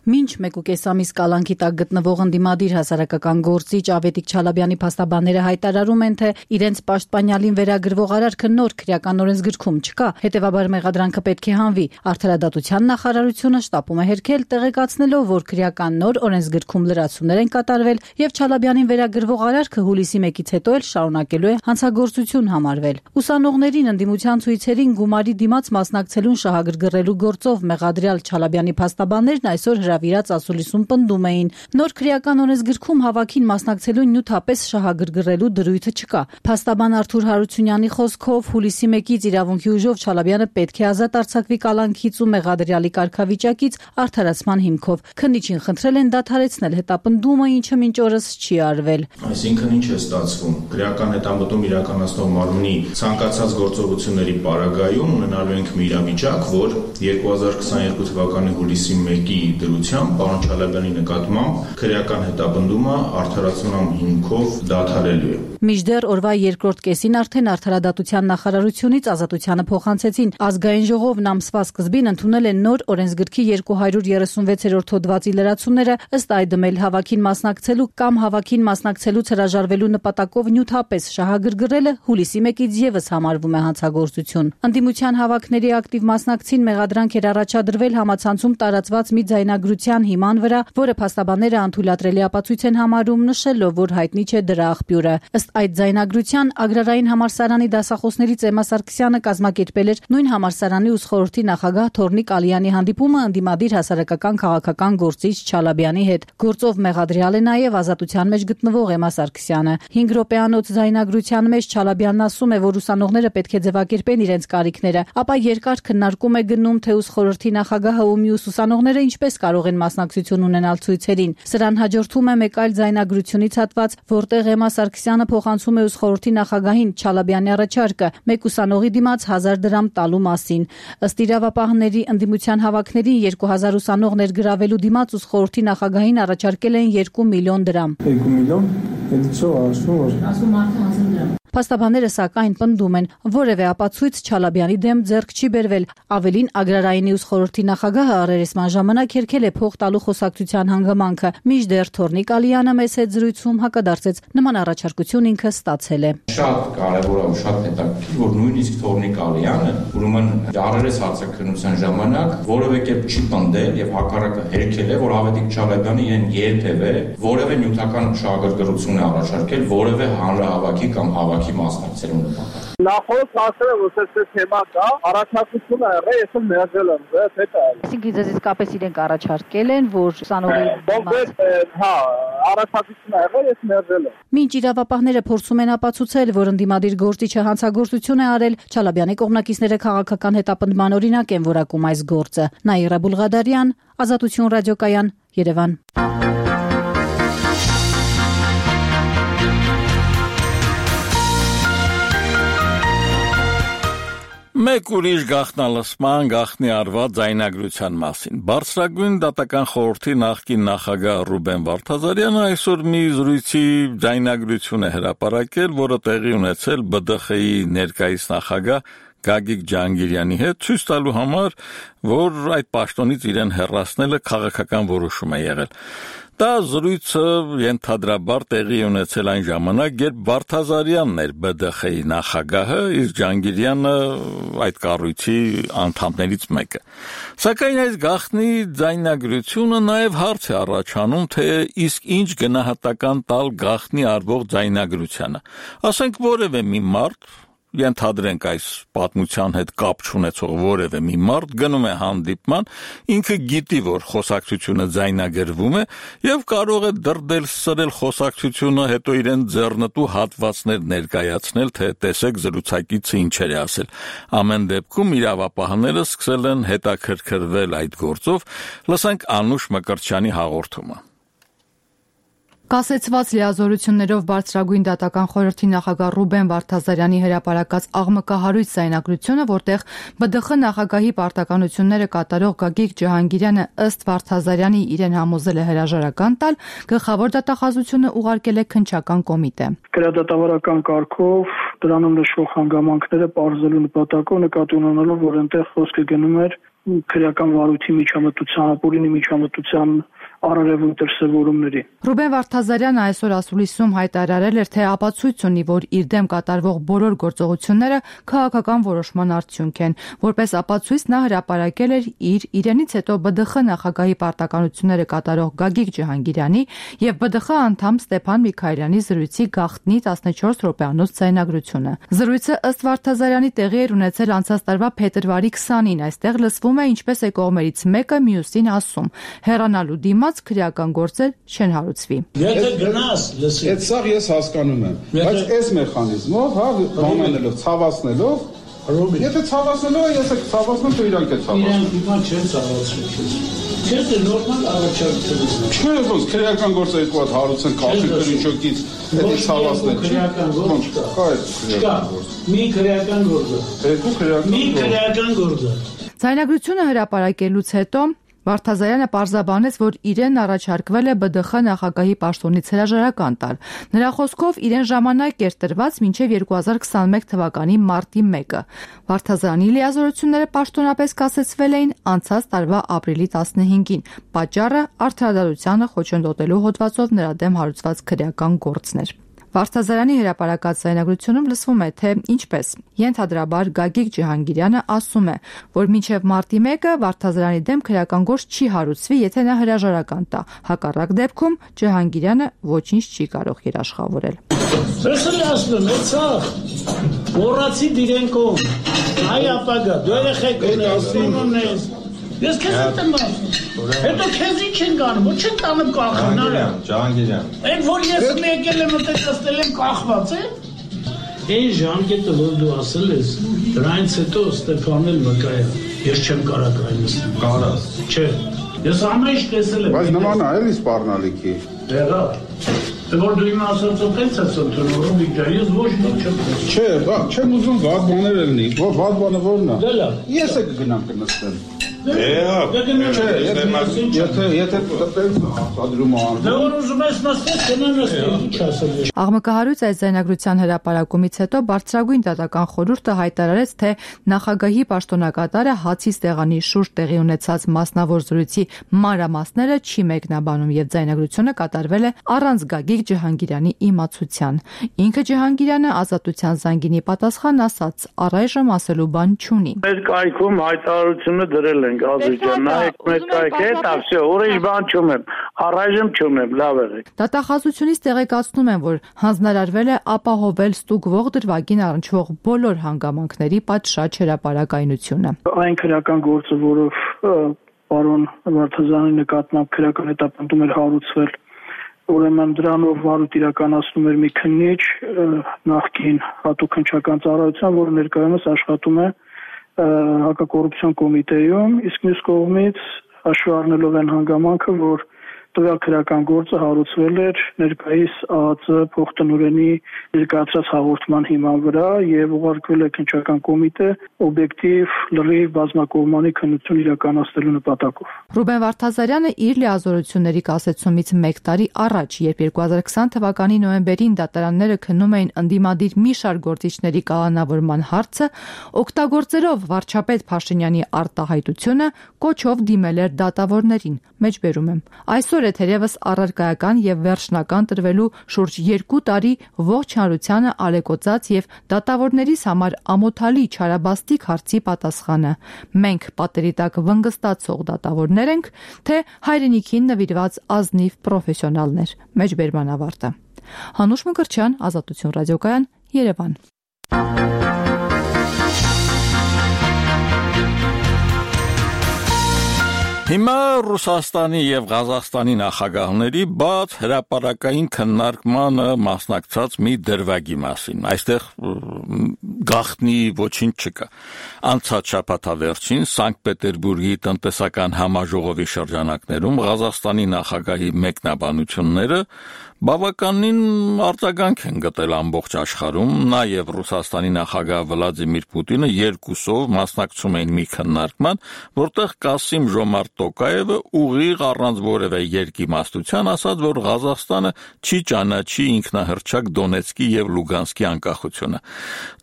Մինչ մեկուկես ամիս կալանքի տակ գտնվող ընդդիմադիր հասարակական գործիչ Ավետիք Չալաբյանի փաստաբանները հայտարարում են, թե իրենց պաշտպանյալին վերագրվող արարքը նոր քրեական օրենսգրքում չկա, հետևաբար մեղադրանքը պետք է հանվի։ Արդարադատության նախարարությունը շտապում է հերքել, տեղեկացնելով, որ քրեական նոր օրենսգրքում լրացումներ են կատարվել եւ Չալաբյանին վերագրվող արարքը հուլիսի մեկից հետո էլ շարունակելու է հանցագործություն համարվել։ Ուսանողներին ընդդիմության ցույցերին գումարի դիմաց մասնակցելուն շահագրգռելու գործով մեղադրյալ Չալաբյանի փաստաբաններն այսօր վիրած ասուլիսում պնդում էին. նոր քրեական օրենսգրքում հավաքին մասնակցելու նյութապես շահագրգռելու դրույթը չկա։ Փաստաբան Արթուր Հարությունյանի խոսքով հուլիսի մեկից իրավունքի ուժով Չալաբյանը պետք է ազատ արձակվի կալանքից ու մեղադրյալի կարգավիճակից արդարացման հիմքով։ Քննիչին խնդրել են դադարեցնել հետապնդումը, ինչը մինչ օրս չի արվել։ Այսինքն ինչ է ստացվում։ Քրեական հետամտում իրականացնող մարմնի ցանկացած գործողությունների պարագայում ունենալու ենք մի իրավիճակ, որ երկու հազար քսաներկու թվականի հուլիսի մեկի պարոն Չալաբյանի նկատմամբ քրեական հետապնդումը արդարացման հիմքով դադարելու է։ Մինչդեռ օրվա երկրորդ կեսին արդեն Արդարադատության նախարարությունից ազատությանը փոխանցեցին։ Ազգային ժողովն ամսվա սկզբին ընդունել է նոր օրենսգրքի երկու հարյուր երեսունվեցերորդ հոդվածի լրացումները, ըստ այդմ էլ հավաքին մասնակցելու կամ հավաքին մասնակցելուց հրաժարվելու նպատակով նյութապես շահագրգռելը հուլիսի մեկից եւս համարվում է հանցագործություն։ Ընդդիմության հավաքների ակտիվ մասնակցին մեղադրանք էր առաջադրվել համացանցում տարածված մի ձայնագրության հիման վրա, որը փաստաբանները անթույլատրելի ապացույց են համարում, նշելով, որ հայտնի չէ դրա աղբյուրը։ Ըստ այդ ձայնագրության Ագրարային համալսարանի դասախոսներից Էմմա Սարգսյանը կազմակերպել էր նույն համալսարանի ուսխորհրդի նախագահ Թորնիկ Ալյանի հանդիպումը ընդդիմադիր հասարակական քաղաքական գործիչ Չալաբյանի հետ։ Գործով մեղադրյալ է նաև ազատության մեջ գտնվող Էմմա Սարգսյանը։ հինգ րոպեանոց ձայնագրության մեջ Չալաբյանն ասում է, որ ուսանողները պետք է ձևակերպեն իրենց կարիքները, ապա երկար քննարկում է գնում, թե ուսխորհրդի նախագահը ու մյուս ուսանողները ինչպես կարող կարող են մասնակցություն ունենալ ցույցերին։ Սրան հաջորդում է մեկ այլ ձայնագրությունից հատված, որտեղ Էմմա Սարգսյանը փոխանցում է ուսխորհրդի նախագահին Չալաբյանի առաջարկը մեկ ուսանողի դիմաց հազար դրամ տալու մասին։ Ըստ իրավապահների ընդդիմության հավաքներին երկու հազար ուսանող ներգրավելու դիմաց ուսխորհրդի նախագահին առաջարկել են երկու միլիոն դրամ։ երկու միլիոն, հետո ասում որ ասում մարդը հազար դրամ։ Փաստաբանները սակայն պնդում են, որևէ ապացույց Չալաբյանի դեմ ձեռք չի բերվել։ Ավելին, Ագրարայինի ուսխորհրդի նախագահը առերեսման ժամանակ հերքել է փող տալու խոսակցության հանգամանքը։ Մինչդեռ Թորնիկ Ալյանը մեծ հետ զրույցում հակադարձեց, նման առաջարկություն ինքը ստացել է։ Շատ կարևոր է ու շատ հետաքրքիր, որ նույնիսկ Թորնիկ Ալյանը, ուրեմն առերես հարցաքննության ժամանակ որևէ կերպ չի պնդել եւ հակառակը հերքել է, որ Ավետիք Չալաբյանը իրեն երբևէ որևէ նյութական շահագրգռություն է առաջարկել որևէ հանրահավաքի կամ հավաքի մասնակցելու նպատակով։ Նախորդ ասել եմ, որ այս թեմա կա, առաջարկություն ա եղել, ես էլ մերժել եմ, դա հետո։ Այսինքն դες իսկապես իրենք առաջարկել են, որ ուսանողի հա, առաջարկություն ա եղել, ես մերժել եմ։ Մինչ իրավապահները փորձում են ապացուցել, որ ընդդիմադիր գործիչը հանցագործություն է արել, Չալաբյանի կողմնակիցները քաղաքական հետապնդման օրինակ են որակում այս գործը։ Նաիրա Բուլղադարյան, Ազատություն ռադիոկայան, Երևան։ Մեկ ուրիշ գաղտնալսման գաղտնի արված ձայնագրության մասին։ Բարձրագույն դատական խորհրդի նախկին նախագահ Ռուբեն Վարդազարյանը այսօր մի զրույցի ձայնագրություն է հրապարակել, որը տեղի ունեցել B D X-ի ներկայիս նախագահ Գագիկ Ջահանգիրյանի հետ, ցույց տալու համար, որ այդ պաշտոնից իրեն հեռացնելը քաղաքական որոշում է եղել։ Դա զրույցը ենթադրաբար տեղի ունեցել այն ժամանակ, երբ Վարդազարյանն էր B D X-ի նախագահը, իսկ Ջահանգիրյանը այդ կառույցի անդամներից մեկը։ Սակայն այս գաղտնի ձայնագրությունը նաև հարց է առաջանում, թե իսկ ինչ գնահատական տալ գաղտնի արվող ձայնագրությանը։ Ասենք որևէ մի մարդ, ենթադրենք այս պատմության հետ կապ չունեցող որևէ մի մարդ գնում է հանդիպման, ինքը գիտի, որ խոսակցությունը ձայնագրվում է եւ կարող է դրդել սրել խոսակցությունը, հետո իրեն ձեռնտու հատվածներ ներկայացնել, թե տեսեք զրուցակիցը ինչեր է ասել։ Ամեն դեպքում իրավապահները սկսել են հետաքրքրվել այդ գործով, լսենք Անուշ Մկրտչյանի հաղորդումը։ Կասեցված լիազորություններով բարձրագույն դատական խորհրդի նախագահ Ռուբեն Վարդազարյանի հրապարակած աղմկահարույց ձայնագրությունը, որտեղ B D X նախագահի պարտականությունները կատարող Գագիկ Ջահանգիրյանը ըստ Վարդազարյանի իրեն համոզել է հրաժարական տալ, գլխավոր դատախազությունը ուղարկել է քննչական կոմիտե։ Գրադատավարական կարգով դրանում նշվող հանգամանքները պարզելու նպատակով նկատի ունենալով, որ այնտեղ խոսքը գնում էր քրեական վարույթի միջամտության, ապօրինի միջամտության արարևույթ դրսևորումների։ Ռուբեն Վարդազարյանը այսօր ասուլիսում հայտարարել էր, թե ապացույց ունի, որ իր դեմ կատարվող բոլոր գործողությունները քաղաքական որոշման արդյունք են։ Որպես ապացույց նա հրապարակել էր իր իրենից հետո B D X նախագահի պարտականությունները կատարող Գագիկ Ջահանգիրյանի եւ B D X անդամ Ստեփան Միքայելյանի զրույցի գաղտնի տասնչորս րոպեանոց ձայնագրությունը։ Զրույցը ըստ Վարդազարյանի տեղի էր ունեցել անցած տարվա փետրվարի քսանին։ Այստեղ լսվում է ինչպես է կողմերից մեկը մյուսին ասում. հեռանալու դիմաց քրեական գործեր չեն հարուցվի։ Եթե գնաս, լսի։ Այդ սա ես հասկանում եմ, բայց այս մեխանիզմով, հա, բանանելով, ցավացնելով, եթե ցավացնելով է, ես եք ցավացնում, դու իրանք է ցավացնում։ Իրանք հիմա չեն ցավացնում քեզ։ Քեզ է նորմալ առաջարկություն։ Չէ, ոնց քրեական գործը երկու հատ հարուցեն քաղաքի քրիչոկից, դա ցավացնել չի։ Քրեական գործ կա։ Կա այդ քրեական գործ։ Մի քրեական գործ։ Երկու քրեական գործ։ Մի քրեական գործ։ Ձայնագրությունը հրապարակելուց հետո Վարդազարյանը պարզաբանեց, որ իրեն առաջարկվել է B D X նախագահի պաշտոնից հրաժարական տալ։ Նրա խոսքով իրեն ժամանակ էր տրված մինչև երկու հազար քսանմեկ թվականի մարտի մեկը։ Վարդազարյանի լիազորությունները պաշտոնապես կասեցվել էին անցած տարվա ապրիլի տասնհինգին։ Պատճառը արդարադատությանը խոչընդոտելու հոդվածով նրա դեմ հարուցված քրեական գործն էր։ Վարդազարյանի հրապարակած ձայնագրությունում լսվում է, թե ինչպես ենթադրաբար Գագիկ Ջահանգիրյանը ասում է, որ մինչև մարտի մեկը Վարդազարյանի դեմ քրեական գործ չի հարուցվի, եթե նա հրաժարական տա։ Հակառակ դեպքում Ջահանգիրյանը ոչինչ չի կարող երաշխավորել։ Սեսել ասում եմ, ցա մոռացի դիրենկով։ Այ ապագա, դու երեխեք ասում ունես։ Ես քեզ եմ ասում։ Հետո քեզ ինչ են գանում, ոչ չեն տանում կախնարը։ Ջահանգիրյան։ Այդ որ ես եկել եմ մտածել եմ կախված է։ Այն ժամկետը որ դու ասել ես, դրանից հետո Ստեփանել վկայա։ Ես չեմ կարող այնպես։ Կարաս։ Չէ։ Ես ամեն ինչ տեսել եմ։ Բայց նման է էլի սպառնալիքի։ Դեղա։ Դե որ դու իմ ասածը տենց ես ընդունում, իջա, ես ոչ մի չեմ տեսել։ Չէ, բա, չեմ ուզում վատ բաներ լինի։ Ո՞ր վատ բանը որն է։ Դե լավ։ Ես է կգնամ կնստեմ։ Դե եթե եթե տենց հաստադրում ան։ Դե որ ուզում ես նստես, կնա նստես, ինչ ասել ես։ Աղմկահարույց այս ձայնագրության հրապարակումից հետո Բարձրագույն դատական խորհուրդը հայտարարեց, թե նախագահի պաշտոնակատարը հացի ստեղանի շուրջ տեղի ունեցած մասնավոր զրույցի մանրամասները չի մեկնաբանում եւ ձայնագրությունը կատարվել է առանց Գագիկ Ջհանգիրյանի իմացության։ Ինքը Ջհանգիրյանը ազատության զանգինի պատասխան ասաց, առայժմ ասելու բան չունի։ Մեր կայքում հայտարարությունը դրել ենք Ազիջան, նայեք մեր կայքի հետ, ասե ուրիշ բան չունեմ, առայժմ չունեմ, լավ եղեք։ Դատախազությունից տեղեկացնում են, որ հանձնարարվել է ապահովել ստուգվող դրվագին առնչվող բոլոր հանգամանքների պատշաճ հրապարակայնությունը։ Այն քրեական գործը, որով պարոն Վարդազյանի նկատմամբ քրեական հետապնդում էր հարուցվել, ուրեմն դրանով վարույթ իրականացնում էր մի քննիչ նախկին հատուկ քննչական ծառայության, որը ներկայումս աշխատում է հակակոռուպցիոն կոմիտեում, իսկ մյուս կողմից հաշվի առնելով այն հանգամանքը, որ տվյալ քրեական գործը հարուցվել էր ներկայիս ԱԱԾ փոխտնօրենի ներկայացրած հաղորդման հիման վրա եւ ուղարկվել է քննչական կոմիտե օբյեկտիվ լրիվ բազմակողմանի քննություն իրականացնելու նպատակով։ Ռուբեն Վարդազարյանը իր լիազորությունների կասեցումից մեկ տարի առաջ, երբ երկու հազար քսան թվականի նոյեմբերին դատարանները քննում էին ընդդիմադիր մի շարք գործիչների կալանավորման հարցը, օգտագործելով վարչապետ Փաշինյանի արտահայտությունը, կոչով դիմել էր դատավորներին։ Մեջբերում եմ։ Այսօր է թերևս առարկայական եւ վերջնական տրվելու շուրջ երկու տարի ողջ հանրությանը ալեկոծած եւ դատավորներիս համար ամոթալի չարաբաստիկ հարցի պատասխանը։ Մենք պատերի տակ վնգստացող դատավորներ ենք, թե հայրենիքին նվիրված ազնիվ պրոֆեսիոնալներ։ Մեջբերման ավարտը։ Հանուշ Մկրտչյան, Ազատություն ռադիոկայան, Երևան։ Հիմա Ռուսաստանի եւ Ղազախստանի նախագահների բաց հրապարակային քննարկմանը մասնակցած մի դրվագի մասին։ Այստեղ գաղտնի ոչինչ չկա։ Անցած շաբաթավերջին Սանկտ Պետերբուրգի տնտեսական համաժողովի շրջանակներում Ղազախստանի նախագահի մեկնաբանությունները բավականին արձագանք են գտել ամբողջ աշխարհում, նաև Ռուսաստանի նախագահ Վլադիմիր Պուտինը երկուսով մասնակցում էին մի քննարկման, որտեղ Կասիմ Ժոմարտ Տոկաևը ուղիղ առանց որևէ երկիմաստության ասաց, որ Ղազախստանը չի ճանաչի ինքնահռչակ Դոնեցկի եւ Լուգանսկի անկախությունը։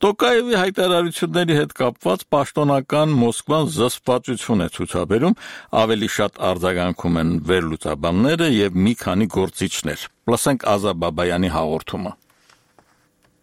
Տոկաևի հայտարարությունների հետ կապված պաշտոնական Մոսկվան զսպվածություն է ցուցաբերում, ավելի շատ արձագանքում են վերլուծաբանները եւ մի քանի գործիչներ։ Լսենք Ազա Բաբայանի հաղորդումը։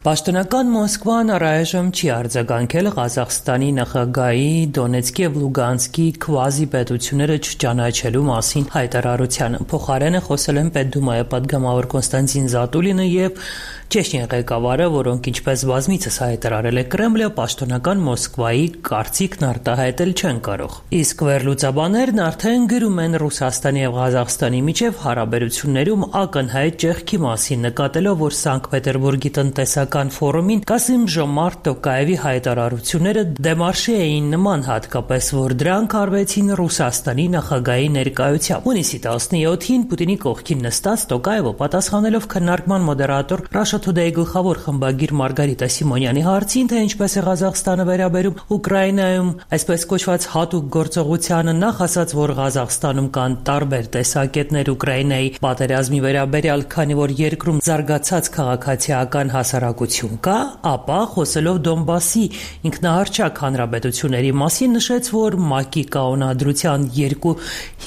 Պաշտոնական Մոսկվան առայժմ չի արձագանքել Ղազախստանի նախագահի Դոնեցկի եւ Լուգանսկի քվազի պետությունները չճանաչելու մասին հայտարարությանը։ Փոխարենը խոսել են Պետդումայի պատգամավոր Կոնստանտին Զատուլինը եւ Չեչնիա ղեկավարը, որոնք ինչպես բազմիցս հայտարարել է Կրեմլը, պաշտոնական Մոսկվայի կարծիքն արտահայտել չեն կարող։ Իսկ վերլուծաբաններն արդեն գրում են Ռուսաստանի եւ Ղազախստանի միջև հարաբերություններում ակնհայտ ճեղքի մասին, նկատելով, որ Սանկտ Պետերբուրգի տնտեսական ֆորումին Կասիմ Ժոմարտ Տոկաևի հայտարարությունները դեմարշի էին նման, հատկապես որ դրանք արվեցին Ռուսաստանի նախագահի ներկայությամբ։ Հունիսի տասնյոթին Պուտինի կողքին նստած Տոկաևը պատասխանելով քննարկման մոդերատոր Russia Today գլխավոր խմբագիր Մարգարիտա Սիմոնյանի հարցին, թե ինչպես է Ղազախստանը վերաբերում Ուկրաինայում այսպես կոչված հատուկ գործողությանը, նախ ասաց, որ Ղազախստանում կան տարբեր տեսակետներ Ուկրաինայի պատերազմի վերաբերյալ, քանի որ երկրում զարգացած քաղաքացիական հասարակություն կա, ապա խոսելով Դոնբասի ինքնահռչակ հանրապետությունների մասին նշեց, որ ՄԱԿ-ի կանոնադրության երկու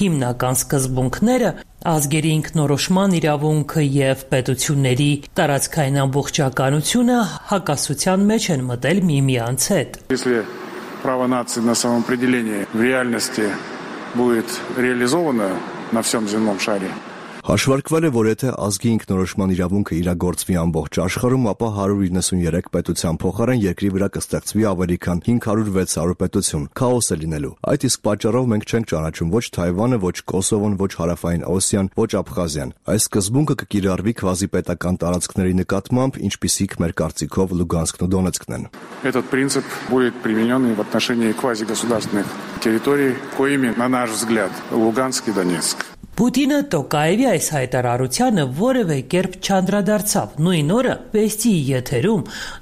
հիմնական սկզբունքները ազգերի ինքնորոշման իրավունքը եւ պետությունների տարածքային ամբողջականությունը հակասության մեջ են մտել միմյանց հետ։ Если право нации на самоопределение в реальности будет реализовано на всем земном шаре, Հաշվարկվել է, որ եթե ազգի ինքնորոշման իրավունքը իրագործվի ամբողջ աշխարհում, ապա հարյուր իննսունյերեք պետության փոխարեն երկրի վրա կստեղծվի ավելի քան հինգ հարյուր վեց հարյուր պետություն, քաոս է լինելու։ Այդ իսկ պատճառով մենք չենք ճանաչում ոչ Թայվանը, ոչ Կոսովոն, ոչ Հարավային Օսիան, ոչ Աբխազիան։ Այս սկզբունքը կկիրառվի քվազիպետական տարածքների նկատմամբ, ինչպիսիք մեր կարծիքով Լուգանսկն ու Դոնեցկն են։ Этот принцип будет применен и в отношении квазигосударственных территорий, коими, на наш взгляд, Луганск и Донецк. Պուտինը Տոկաևի այս հայտարարությանը որևէ կերպ չանդրադարձավ։ Նույն օրը Վեստիի եթերում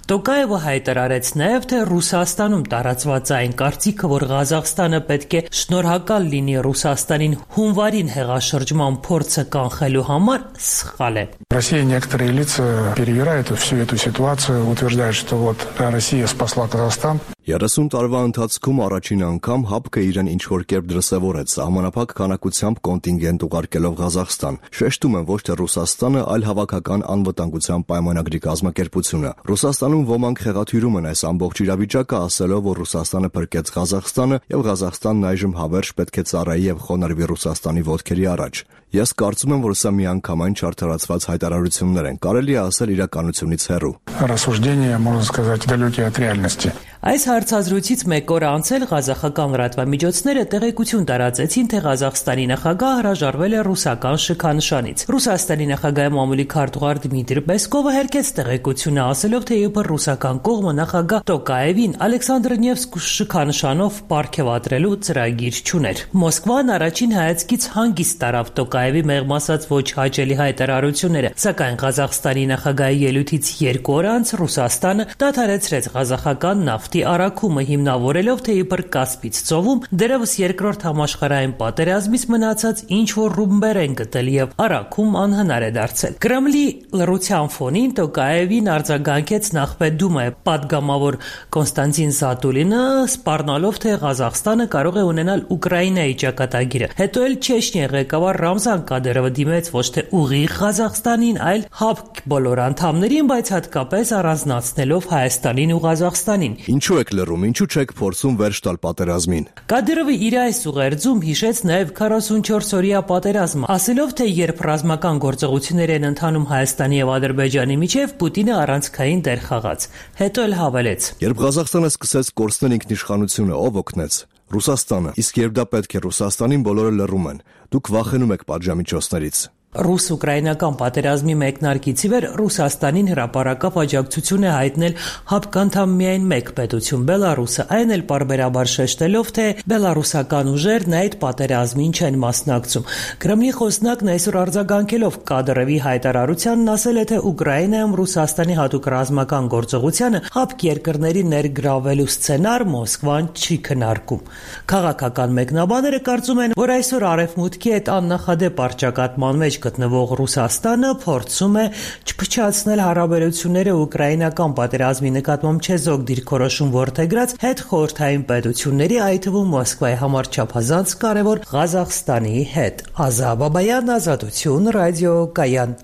Տոկաևը հայտարարեց նաև, թե Ռուսաստանում տարածված այն կարծիքը, որ Ղազախստանը պետք է շնորհակալ լինի Ռուսաստանին հունվարին հեղաշրջման փորձը կանխելու համար, սխալ է։ В России некоторые лица перевирают всю эту ситуацию, утверждают, что вот Россия спасла Казахстан. երեսուն տարվա ընթացքում առաջին անգամ ՀԱՊԿ-ը իրեն ինչ-որ կերպ դրսևորեց, սահմանափակ քանակությամբ կոնտինգենտ ուղարկելով Ղազախստան։ Շեշտում են ոչ թե Ռուսաստանը, այլ հավաքական անվտանգության պայմանագրի կազմակերպությունը։ Ռուսաստանում ոմանք խեղաթյուրում են այս ամբողջ իրավիճակը, ասելով, որ Ռուսաստանը փրկեց Ղազախստանը եւ Ղազախստանն այժմ հավերժ պետք է ծառայի եւ խոնարհվի Ռուսաստանի ոտքերի առաջ։ Ես կարծում եմ, որ սա միանգամայն չարդարացված հայտարարություններ են, կարելի է ասել իրականությունից հեռու։ Рассуждения, можно сказать, далекие от реальности. Այս հարցազրույցից մեկ օր անցել ղազախական լրատվամիջոցները տեղեկություն տարածեցին, թե Ղազախստանի նախագահ հրաժարվել է ռուսական շքանշանից։ Ռուսաստանի նախագահի մամուլի քարտուղար Դմիտրի Պեսկովը հերքեց տեղեկությունը, ասելով, թե իբր ռուսական կողմը նախագահ Տոկաևին Ալեքսանդր Նևսկ շքանշանով պարգևատրելու ծրագիր չուներ։ Մոսկվան առաջին հայացքից հանգիստ տարավ Տոկաևի մեղմ ասած ոչ հաճելի հայտարարությունները, սակայն Ղազախստանի նախագահի ելույթից երկու օր անց Ռուսաստանը դադարեցրեց ղազախական նավթ առաքումը հիմնավորելով, թե իբր Կասպից ծովում դերևս երկրորդ համաշխարհային պատերազմից մնացած ինչ-որ ռումբեր են գտել եւ առաքում անհնար է դարձել։ Կրեմլի լռության ֆոնին Տոկաևին արձագանքեց նախպետդումայի պատգամավոր Կոնստանտին Զատուլինը, սպառնալով, թե Ղազախստանը կարող է ունենալ Ուկրաինայի ճակատագիրը։ Հետո էլ Չեչնիայի ղեկավար Ռամզան Կադիրովը դիմեց ոչ թե ուղիղ Ղազախստանին, այլ ՀԱՊԿ բոլոր անդամներին, բայց հատկապես առանձնացնելով Հայաստանին ու Ղազախստանին։ Ինչու եք լռում, ինչու չեք փորձում վերջ տալ պատերազմին։ Կադիրովը իր այս ուղերձում հիշեց նաև քառասունչորս օրյա պատերազմը, ասելով, թե երբ ռազմական գործողություններ են ընթանում Հայաստանի եւ Ադրբեջանի միջև, Պուտինը առանցքային դեր խաղաց։ Հետո էլ հավելեց. Երբ Ղազախստանը սկսեց կորցնել ինքնիշխանությունը, ով օգնեց։ Ռուսաստանը։ Իսկ երբ դա պետք է Ռուսաստանին, բոլորը լռում են։ Դուք վախենում եք պատժամիջոցներից։ Ռուս-ուկրաինական պատերազմի մեկնարկից ի վեր Ռուսաստանին հրապարակավ աջակցություն է հայտնել ՀԱՊԿ անդամ միայն մեկ պետություն՝ Բելարուսը, այն էլ պարբերաբար շեշտելով, թե բելարուսական ուժերն այդ պատերազմին չեն մասնակցում։ Կրեմլի խոսնակն այսօր արձագանքելով Կադիրովի հայտարարությանն ասել է, թե Ուկրաինայում Ռուսաստանի հատուկ ռազմական գործողությանը ՀԱՊԿ երկրների ներգրավելու սցենար Մոսկվան չի քննարկում։ Քաղաքական մեկնաբանները կարծում են, որ այսօր Արևմուտքի հետ աննախադեպ առճակատման մեջ գտնվող Ռուսաստանը փորձում է չփչացնել հարաբերությունները ուկրաինական պատերազմի նկատմամբ չեզոք դիրքորոշում որդեգրած հետ խորհրդային պետությունների, այդ թվում Մոսկվայի համար չափազանց կարևոր Ղազախստանի հետ։ Ազա Բաբայան, Ազատություն, ռադիո Կայան։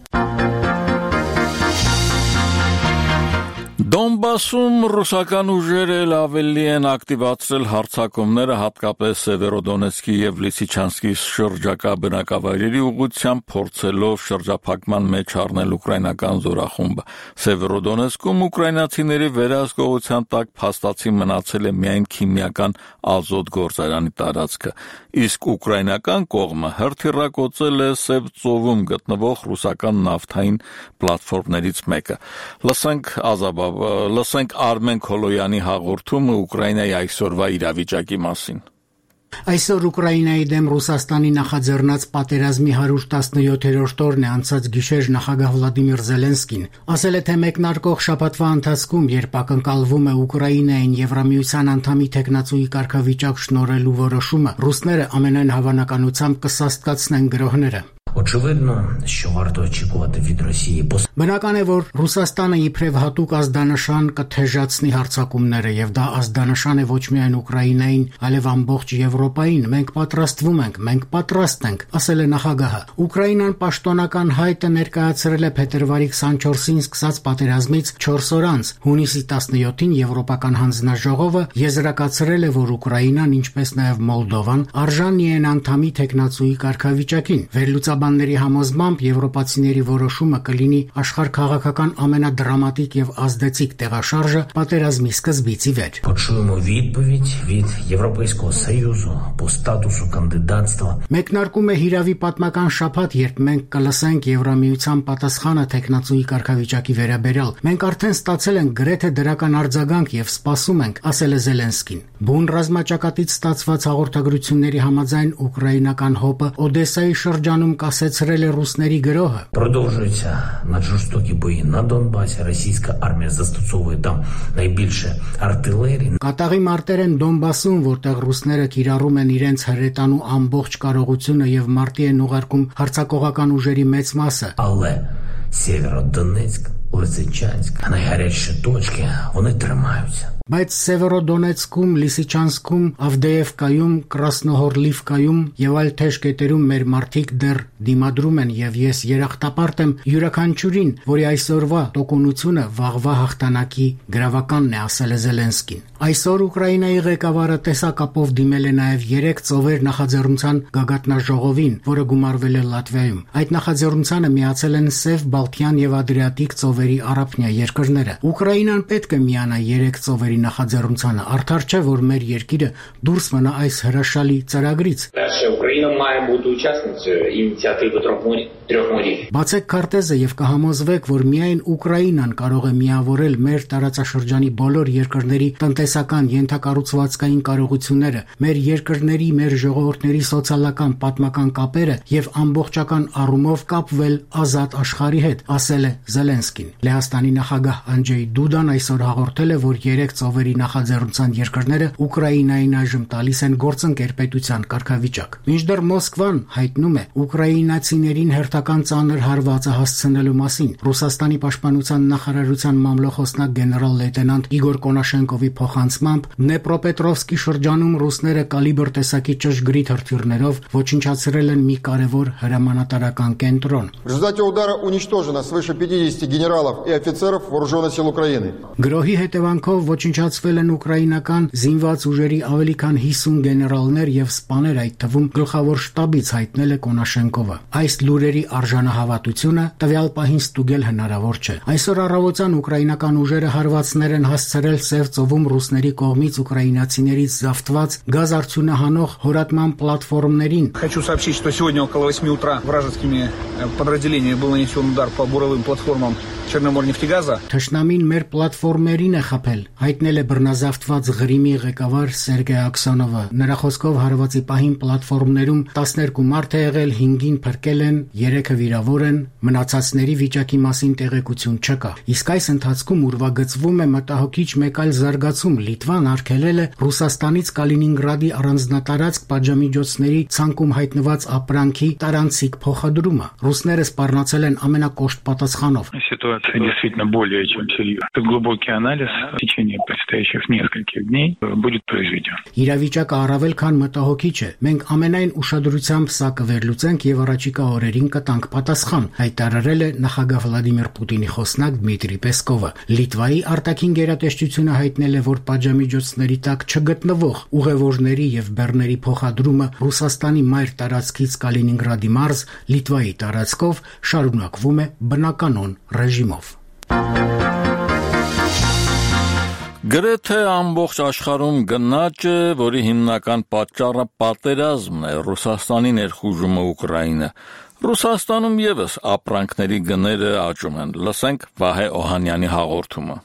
Դոնբասում ռուսական ուժերը ավելի են ակտիվացրել հարձակումները, հատկապես Սևերոդոնեցկի եւ Լիսիչանսկի շրջակա բնակավայրերի ուղղությամբ, փորձելով շրջափակման մեջ առնել ուկրաինական զորախումբը։ Սևերոդոնեցկում ուկրաինացիների վերահսկողության տակ փաստացի մնացել է միայն քիմիական ազոտ գործարանի տարածքը, իսկ ուկրաինական կողմը հրթիռակոծել է Սև ծովում գտնվող ռուսական նավթային պլատֆորմներից մեկը։ Լսենք Ազաբա Լսենք Արմեն Քոլոյանի հաղորդումը Ուկրաինայի այսօրվա իրավիճակի մասին։ Այսօր Ուկրաինայի դեմ Ռուսաստանի նախաձեռնած պատերազմի հարյուր տասնյոթերորդ օրն է անցած գիշեր նախագահ Վլադիմիր Զելենսկին ասել է, թե մեկնարկող շաբաթվա ընթացքում, երբ ակնկալվում է Ուկրաինային Եվրամիության անդամի թեկնածուի կարգավիճակ շնորհելու որոշումը, ռուսները ամենայն հավանականությամբ կսաստկացնեն գրոհները։ Բնական է, որ Ռուսաստանը իբրև հատուկ ազդանշան կթեժացնի հարձակումները, եւ դա ազդանշան է ոչ միայն Ուկրաինային, այլև ամբողջ Եվրոպային։ Մենք պատրաստվում ենք, մենք պատրաստ ենք, ասել է նախագահը։ Ուկրաինան պաշտոնական հայտը ներկայացրել է փետրվարի քսանչորսին սկսած պատերազմից չորս օր անց։ Հունիսի տասնյոթին Եվրոպական հանձնաժողովը եզրակացրել է, որ Ուկրաինան, ինչպես նաեւ Մոլդովան, արժանի են անդամի թեկնածուի կարգավիճակին։ Վերլուծաբան Փաստաբանների համոզմամբ եվրոպացիների որոշումը կլինի աշխարհքաղաքական ամենադրամատիկ եւ ազդեցիկ տեղաշարժը պատերազմի սկզբից ի վեր։ Почуємо відповідь від Європейського Союзу по статусу кандидатства. Մեկնարկում է հիրավի պատմական շաբաթ, երբ մենք կլսենք Եվրամիության պատասխանը տեխնացուի կարգավիճակի վերաբերյալ։ Մենք արդեն ստացել ենք գրեթե դրական արձագանք եւ սպասում ենք, ասել է Զելենսկին։ Բուն ռազմաճակատից ստացված հաղորդագրությունների համաձայն ուկրաինական հոպը Օդեսայի շրջանում կասեցրել է ռուսների գրոհը։ Продовжуються наджорстокі бої на Донбасі. Російська армія застосовує там найбільше артилерії. Կատաղի մարտեր են Դոնբասում, որտեղ ռուսները կիրառում են իրենց հրետանու ամբողջ կարողությունը եւ մարտի են ուղարկում հարձակողական ուժերի մեծ մասը։ Але Сєвєродонецьк, Лисичанськ, найгарячіші точки, вони тримаються. Բայց Սևորոդոնեցկում, Լիսիչանսկում, Ավդեևկայում, Կրասնոհորլիվկայում եւ այլ թեժ կետերում մեր մարդիկ դեռ դիմադրում են եւ ես երախտապարտ եմ յուրաքանչյուրին, որի այսօրվա տոկունությունը վաղվա հաղթանակի գրավականն է, ասել է Զելենսկին։ Այսօր Ուկրաինայի ղեկավարը տեսակապով դիմել է նաեւ երեք ծովեր նախաձեռնության գագաթնաժողովին, որը գումարվել է Լատվիայում։ Այդ նախաձեռնությանը միացել են Սև, Բալթյան եւ Ադրիատիկ ծովերի առափնյա երկրները։ Ուկրաինան պետք է միանա երեք ծովերի նախաձեռնությանը, արդար չէ, որ մեր երկիրը դուրս մնա այս հրաշալի ծրագրից։ Բացեք քարտեզը եւ կհամոզվեք, որ միայն Ուկրաինան կարող է միավորել մեր տարածաշրջանի բոլոր երկրների տնտեսական ենթակառուցվածքային կարողությունները, մեր երկրների, մեր ժողովուրդների սոցիալական պատմական կապերը եւ ամբողջական առումով կապվել ազատ աշխարհի հետ, ասել է Զելենսկին։ Լեհաստանի նախագահ Անջեյ Դուդան այսօր հաղորդել է, որ երեք ծովերի նախաձեռնության երկրները Ուկրաինային այժմ տալիս են գործընկերպետության կարգավիճակ։ Մինչդեռ Մոսկվան հայտնում է ուկրաինացիներին հերթական ծանր հարվածը հասցնելու մասին։ Ռուսաստանի պաշտպանության նախարարության մամլոխոսնակ գեներալ լեյտենանտ Իգոր Կոնաշենկովի փոխանցմամբ Դնեպրոպետրովսկի շրջանում ռուսները կալիբր տեսակի ճշգրիտ հրթիռներով ոչնչացրել են մի կարևոր հրամանատարական կենտրոն։ В результате удара уничтожено свыше пятидесяти генералов и офицеров вооруженных сил Украины. Գրոհի հետևանքով ոչնչացվել են ուկրաինական զինված ուժերի ավելի քան հիսուն գեներալներ եւ սպաներ, այդ թվում գլխավոր շտաբից, հայտնել է Կոնաշենկովը։ Այս լուրերի արժանահավատությունը տվյալ պահին ստուգել հնարավոր չէ։ Այսօր առավոտյան ուկրաինական ուժերը հարվածներ են հասցրել Սև ծովում ռուսների կողմից ուկրաինացիներից զավթված գազ արդյունահանող հորատման պլատֆորմներին։ Хочу сообщить, что сегодня около восьми утра вражескими подразделениями был нанесен удар по буровым платформам Черноморнефтегаза. Թշնամին մեր պլատֆորմերին է խփել, հայտնել է բռնազավթված Ղրիմի ղեկավար Սերգեյ Աքսանովը։ Նրա խոսքով հարվածի պահին պլատֆորմներում տասներկու մարդ է եղել, հինգին փրկել են, երեքը վիրավոր են, մնացածների վիճակի մասին տեղեկություն չկա։ Իսկ այս ընթացքում ուրվագծվում է մտահոգիչ մեկ այլ զարգացում։ Լիտվան արգելել է Ռուսաստանից Կալինինգրադի առանձնատարածք պատժամիջոցների ցանկում հայտնված ապրանքի տարանցիկ փոխադրումը։ Ռուսները սպառնացել են ամենակոշտ պատասխանով։ Ситуация действительно более чем серьезна. Глубокий анализ в течение предстоящих нескольких дней будет произведен. Իրավիճակը առավել քան մտահոգիչ է։ Մենք ամենայն ուշադրությամբ սա կվերլուծենք եւ առաջիկա օրերին կտանք պատասխան, հայտարարել է նախագահ Վլադիմիր Պուտինի խոսնակ Դմիտրի Պեսկովը։ Լիտվայի արտաքին գերատեսչությունը հայտնել է, որ պատժամիջոցների տակ չգտնվող ուղևորների եւ բեռների փոխադրումը Ռուսաստանի մայր տարածքից Կալինինգրադի մարզ Լիտվայի տարածքով շարունակվում է բնականոն ռեժիմով։ Գրեթե ամբողջ աշխարհում գնաճ է, որի հիմնական պատճառը պատերազմն է, Ռուսաստանի ներխուժումը Ուկրաինա։ Ռուսաստանում եւս ապրանքների գները աճում են։ Լսենք Վահե Օհանյանի հաղորդումը։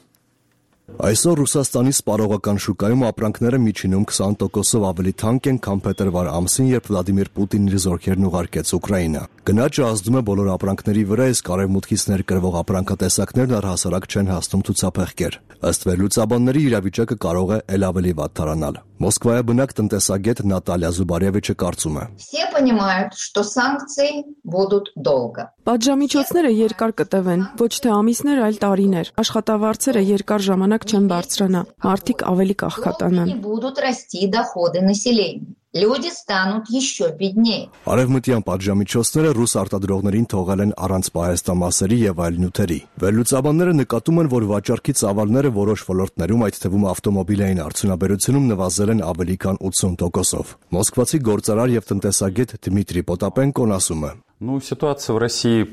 Այսօր Ռուսաստանի սպառողական շուկայում ապրանքները միջինում քսան տոկոսով ավելի թանկ են, քան փետրվար ամսին, երբ Վլադիմիր Պուտինն իր զորքերն ուղարկեց Ուկրաինա։ Գնաճը ազդում է բոլոր ապրանքների վրա, իսկ արևմուտքից ներկրվող ապրանքատեսակներն առհասարակ չեն հասնում ցուցափեղկեր։ Ըստ վերլուծաբանների իրավիճակը կարող է ել ավելի վատ դառնալ։ Մոսկվայի բնակ տնտեսագետ Նատալիա Զուբարևիչը կարծում է. Все понимают, что санкции будут долго. Պատժամիջոցները երկար կտևեն, ոչ թե ամիսներ, այլ տարիներ։ Աշխատավարձերը երկար ժամանակ չեն բարձրանա, մարդիկ ավելի կախքատանան։ Будут расти доходы населения. Люди станут еще беднее. Արևմտյան պատժամիջոցները ռուս արտադրողներին թողել են առանց պահեստամասերի եւ այլ նյութերի։ Վերլուծաբանները նկատում են, որ վաճառքի ծավալները որոշ ոլորտներում, այդ թվում ավտոմոբիլային արդյունաբերությունում նվազել են ավելի քան ութսուն տոկոսով։ Մոսկվացի գործարար եւ տնտեսագետ Դմիտրի Պոտապենկոն ասում է. Ну, ситуация в России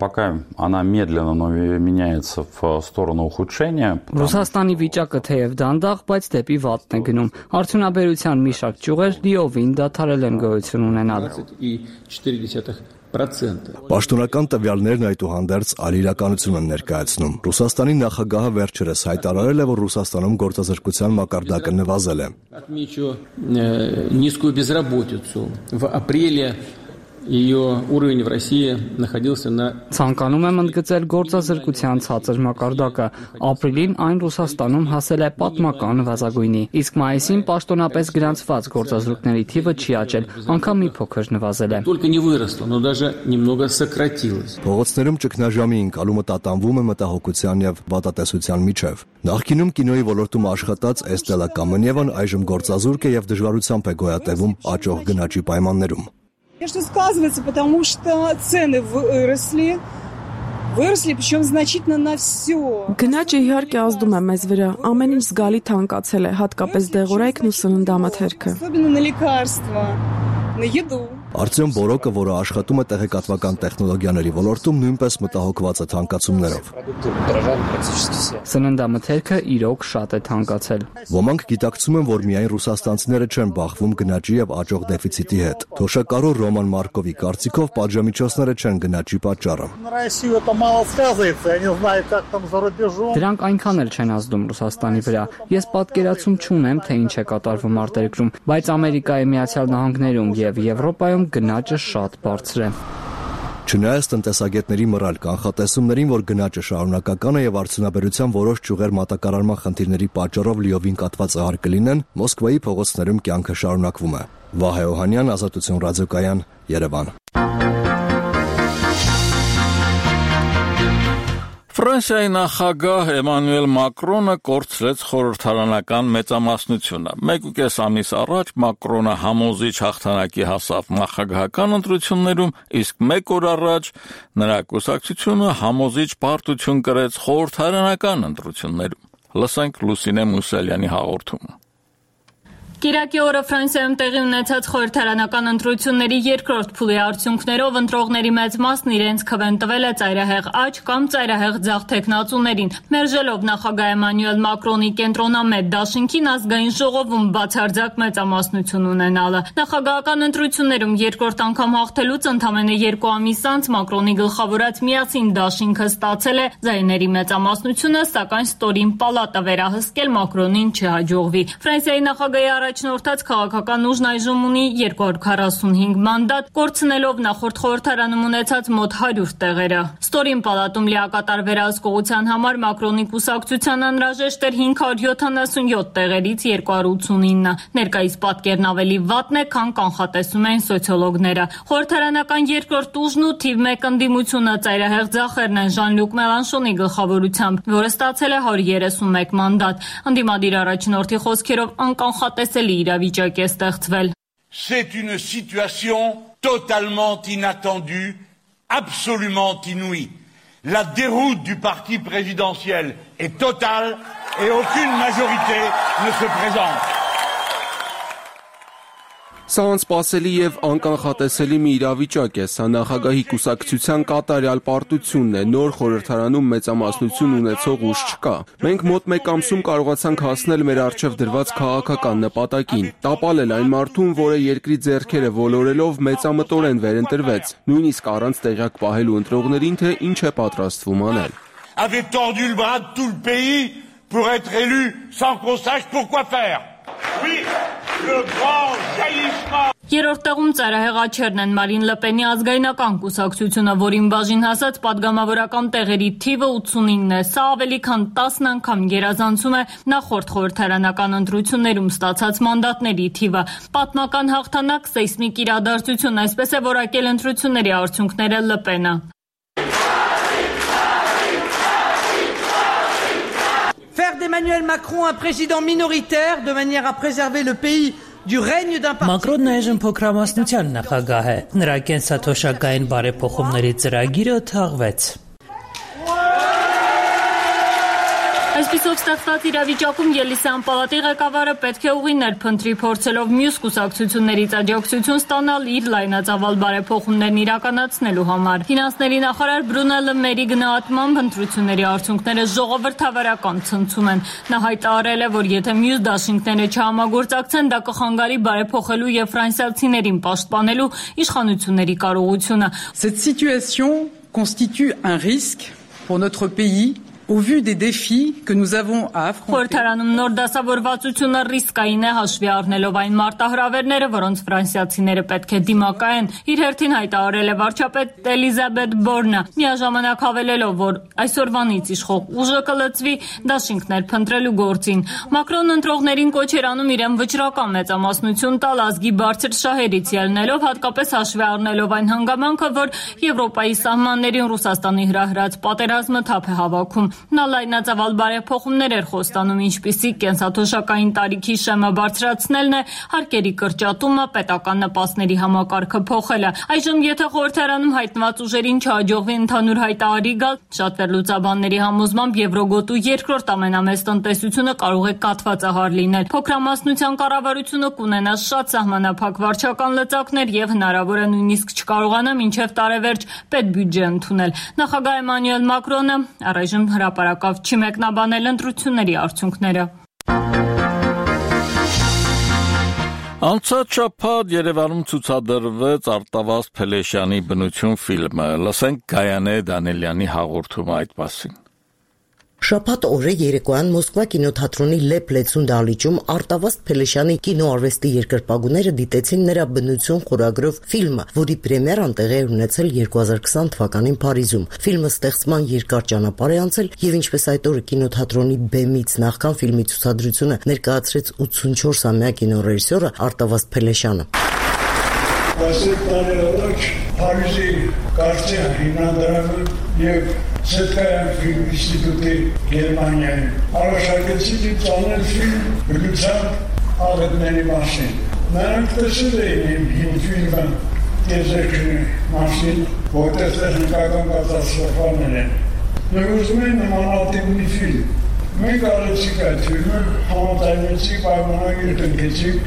пока она медленно, но меняется в сторону ухудшения. Ռուսաստանի վիճակը թեև դանդաղ, բայց դեպի վատն է գնում։ Արդյունաբերության մի շարք ճյուղեր լիովին դադարել են գոյություն ունենալ։ Պաշտոնական տվյալներն այդուհանդերձ այլ իրականություն են ներկայացնում։ Ռուսաստանի նախագահը վերջերս հայտարարել է, որ Ռուսաստանում գործազրկության մակարդակը նվազել է։ Отмечу низкую безработицу. В апреле ее уровень в России находился на Ցանկանում եմ ընդգծել գործազրկության ցածր մակարդակը։ Ապրիլին այն Ռուսաստանում հասել է պատմական նվազագույնի, իսկ մայիսին պաշտոնապես գրանցված գործազրկների թիվը չի աճել, անգամ մի փոքր նվազել է։ Только не выросло, но даже немного сократилось. Փողոցներում ճգնաժամի ընկալումը տատանվում է մտահոգության եւ վատատեսության միջև։ Նախկինում կինոյի ոլորտում աշխատած Էստելա Կամանևան այժմ գործազուրկ է եւ դժվարությամբ է գոյատևում աճող գնաճի պայմաններում։ Конечно, сказывается, потому что цены выросли, выросли, причем значительно на все. Գնաճը իհարկե ազդում է մեզ վրա, ամեն ինչ զգալի թանկացել է, հատկապես դեղորայքն ու սննդամթերքը։ Особенно на лекарства, на еду. Արտյոմ Բորոկը, որը աշխատում է տեղեկատվական տեխնոլոգիաների ոլորտում, նույնպես մտահոգված է թանկացումներով։ Սննդամթերքը իրոք շատ է թանկացել։ Ոմանք գիտակցում են, որ միայն ռուսաստանցիները չեն բախվում գնաճի եւ աճող դեֆիցիտի հետ։ Թոշակառու Ռոման Մարկովի կարծիքով պատժամիջոցները չեն գնաճի պատճառը։ Դրանք այնքան էլ չեն ազդում Ռուսաստանի վրա։ Ես պատկերացում չունեմ, թե ինչ է կատարվում արտերկրում, բայց Ամերիկայի Միացյալ Նահանգներում եւ Եվրոպայում գնաճը շատ բարձր է։ Չնայած տնտեսագետների մռայլ կանխատեսումներին, որ գնաճը շարունակական է եւ արդյունաբերության որոշ ճյուղեր մատակարարման խնդիրների պատճառով լիովին կաթված ահար կլինեն, Մոսկվայի փողոցներում կյանքը շարունակվում է։ Վահե Օհանյան, Ազատություն ռադիոկայան, Երևան։ Ֆրանսիայի նախագահ Էմանուել Մակրոնը կորցրեց խորհրդարանական մեծամասնությունը։ Մեկ ու կես ամիս առաջ Մակրոնը համոզիչ հաղթանակի հասավ նախագահական ընտրություններում, իսկ մեկ օր առաջ նրա կուսակցությունը համոզիչ պարտություն կրեց խորհրդարանական ընտրություններում։ Լսենք Լուսինե Մուսալյանի հաղորդումը։ Կիրակի օրը Ֆրանսիայում տեղի ունեցած խորհրդարանական ընտրությունների երկրորդ փուլի արդյունքներով ընտրողների մեծ մասն իրենց քվեն տվել է ծայրահեղ աճ կամ ծայրահեղ ձախ թեկնածուներին, մերժելով նախագահ Էմանուել Մակրոնի կենտրոնամետ դաշինքին ազգային ժողովում բացարձակ մեծամասնություն ունենալը։ Նախագահական ընտրություններում երկրորդ անգամ հաղթելուց ընդամենը երկու ամիս անց Մակրոնի գլխավորած միասին դաշինքը ստացել է ձայների մեծամասնությունը, սակայն ստորին պալատը վերահսկել Մակրոնին չհաջողվի։ Ֆրանսիայի նախագահի առաջնորդած քաղաքական ուժն այժմ ունի երկու հարյուր քառասունհինգ մանդատ, կորցնելով նախորդ խորհրդարանում ունեցած մոտ հարյուր տեղերը։ Ստորին պալատում լիակատար վերահսկողության համար Մակրոնի կուսակցության անհրաժեշտ էր հինգ հարյուր յոթանասունյոթ տեղերից երկու հարյուր ութսունինը։ Ներկայիս պատկերն ավելի վատն է, քան կանխատեսում են սոցիոլոգները։ Խորհրդարանական երկրորդ ուժն ու թիվ մեկ ընդդիմությունը ծայրահեղ ձախերն են Ժան-Լյուկ Մելանշոնի գլխավորությամբ, որը ստացել է հարյուր երեսունմեկ մանդատ։ Ընդդիմադիր առաջնորդի խոսքերով անկանխատեսելի իրավիճակ է ստեղծվել։ C'est une situation totalement inattendue, absolument inouïe. La déroute du parti présidentiel est totale et aucune majorité ne se présente. Սա անսպասելի եւ անկանխատեսելի մի իրավիճակ է, սա նախագահի կուսակցության կատարյալ պարտությունն է, նոր խորհրդարանում մեծամասնություն ունեցող ուժ չկա։ Մենք մոտ մեկ ամսում կարողացանք հասնել մեր առջև դրված քաղաքական նպատակին, տապալել այն մարդուն, որը երկրի ձեռքերը ոլորելով մեծամտորեն վերընտրվեց, նույնիսկ առանց տեղյակ պահելու ընտրողներին, թե ինչ է պատրաստվում անել։ Avait tordu le bras de tout le pays pour être élu sans qu'on sache pourquoi faire. Oui, le grand jaillissement. Երրորդ տեղում ծայրահեղ աճերն են Մարին Լպենի ազգայնական կուսակցությունը, որին բաժին հասած պատգամավորական տեղերի թիվը ութսունինն է։ Սա ավելի քան տասն անգամ գերազանցում է նախորդ խորհրդարանական ընտրություններում ստացած մանդատների թիվը։ Պատմական հաղթանակ, սեյսմիկ իրադարձություն, այսպես է որակել ընտրությունների արդյունքները Լպենը։ Faire d'Emmanuel Macron un président minoritaire de manière à préserver le pays du règne d'un parti. Մակրոնն այժմ փոքրամասնության նախագահ է։ Նրա կենսաթոշակային բարեփոխումների ծրագիրը թաղվեց։ Այսպիսով ստեղծված իրավիճակում Ելիսեան պալատի ղեկավարը պետք է ուղի ներփնտրի, փորձելով մյուս կուսակցություններից աջակցություն ստանալ իր լայնածավալ բարեփոխումներն իրականացնելու համար։ Ֆինանսների նախարար Բրունելը Մերի գնահատմամբ ընտրությունների արդյունքները ժողովրդավարական ցնցում են։ Նա հայտարարել է, որ եթե մյուս դաշինքները չհամագործակցեն, դա կխանգարի բարեփոխելու եւ ֆրանսիացիներին պաշտպանելու իշխանությունների կարողությունը։ Cette situation constitue un risque pour notre pays. Au vu des défis que nous avons à affronter. Խորհրդարանում նոր դասավորվածությունը ռիսկային է հաշվի առնելով այն մարտահրավերները, որոնց ֆրանսիացիները պետք է դիմակայեն։ Իր հերթին հայտարարել է վարչապետ Էլիզաբետ Բորնը, միաժամանակ հավելելով, որ այսօրվանից իշխող ուժը կլծվի դաշինքներ փնտրելու գործին։ Մակրոնն ընտրողներին կոչ էր անում իրեն վճռական մեծամասնություն տալ ազգի բարձր շահերից ելնելով, հատկապես հաշվի առնելով այն հանգամանքը, որ Եվրոպայի սահմաններին Ռուսաստանի հրահրած պատերազմը թափ է հավաքում։ Նա լայնածավալ բարեփոխումներ էր խոստանում, ինչպիսիք կենսաթոշակային տարիքի շեմը բարձրացնելն է, հարկերի կրճատումը, պետական նպաստների համակարգը փոխելը։ Այժմ, եթե խորհրդարանում հայտնված ուժերին չհաջողվի ընդհանուր հայտարարի գալ, շատ վերլուծաբանների համոզմամբ Եվրոգոտու երկրորդ ամենամեծ տնտեսությունը կարող է կաթվածահար լինել։ Փոքրամասնության կառավարությունը կունենա շատ սահմանափակ վարչական լծակներ եւ հնարավոր է նույնիսկ չկարողանա մինչեւ տարեվերջ պետբյուջե ընդունել։ Նախագահ Էմանուել Մակրոնը առայժմ հրապարակավ չի մեկնաբանել ընտրությունների արդյունքները։ Անցած շաբաթ Երևանում ցուցադրվեց Արտավազդ Փելեշյանի բնություն ֆիլմը։ Լսենք Գայանե Դանիելյանի հաղորդումը այդ մասին։ Շաբաթ օրը երեկոյան Մոսկվա կինոթատրոնի Լեփ Լեցուն դահլիճում Արտավազդ Փելեշյանի կինոարվեստի երկրպագուները դիտեցին նրա բնություն խորագրով ֆիլմը, որի պրեմիերան տեղի է ունեցել երկու հազար քսան թվականին Փարիզում։ Ֆիլմը ստեղծման երկար ճանապարհ է անցել եւ ինչպես այդ օրը կինոթատրոնի բեմից նախքան ֆիլմի ցուցադրությունը ներկայացրեց ութսունչորսամյա կինոռեժիսորը Արտավազդ Փելեշյանը։ Այսօր տարի առաջ Փարիզի Կարծիա հիմնադրամը եւ Սետկայան ֆիլմ ինստիտուտի Գերմանիայում առաջարկեցին ինձ անել ֆիլմ բնության աղետների մասին։ Նրանք տեսել էին իմ ֆիլմը Եզեքնի մասին, որտեղ տեխնիկական կատաստրոֆաներ են։ Եվ ուզում են նմանատիպ մի ֆիլմ։ Մենք արեցինք այդ ֆիլմը, համաձայնեցինք, պայմանագիր կնքեցինք,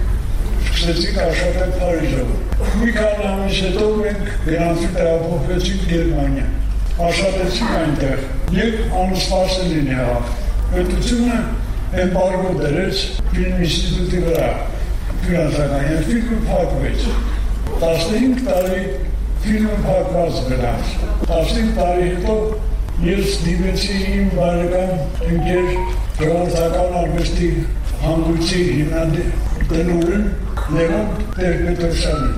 սկսեցինք աշխատել Փարիզում։ Մի քանի ամիս հետո մենք գնացինք տեղափոխվեցինք Գերմանիա։ Աշխատեցինք այնտեղ և անսպասելին եղավ։ Պետությունը էմբարգո դրեց ֆիլմ ինստիտուտի վրա ֆինանսական և ֆիլմը փակվեց։ տասնհինգ տարի ֆիլմը փակված գնաց։ տասնհինգ տարի հետո ես դիմեցի իմ բարեկամ ընկեր ժողովրդական արվեստի հանգույցի հիմնադիրին Լևոն Տեր-Պետրոսյանին։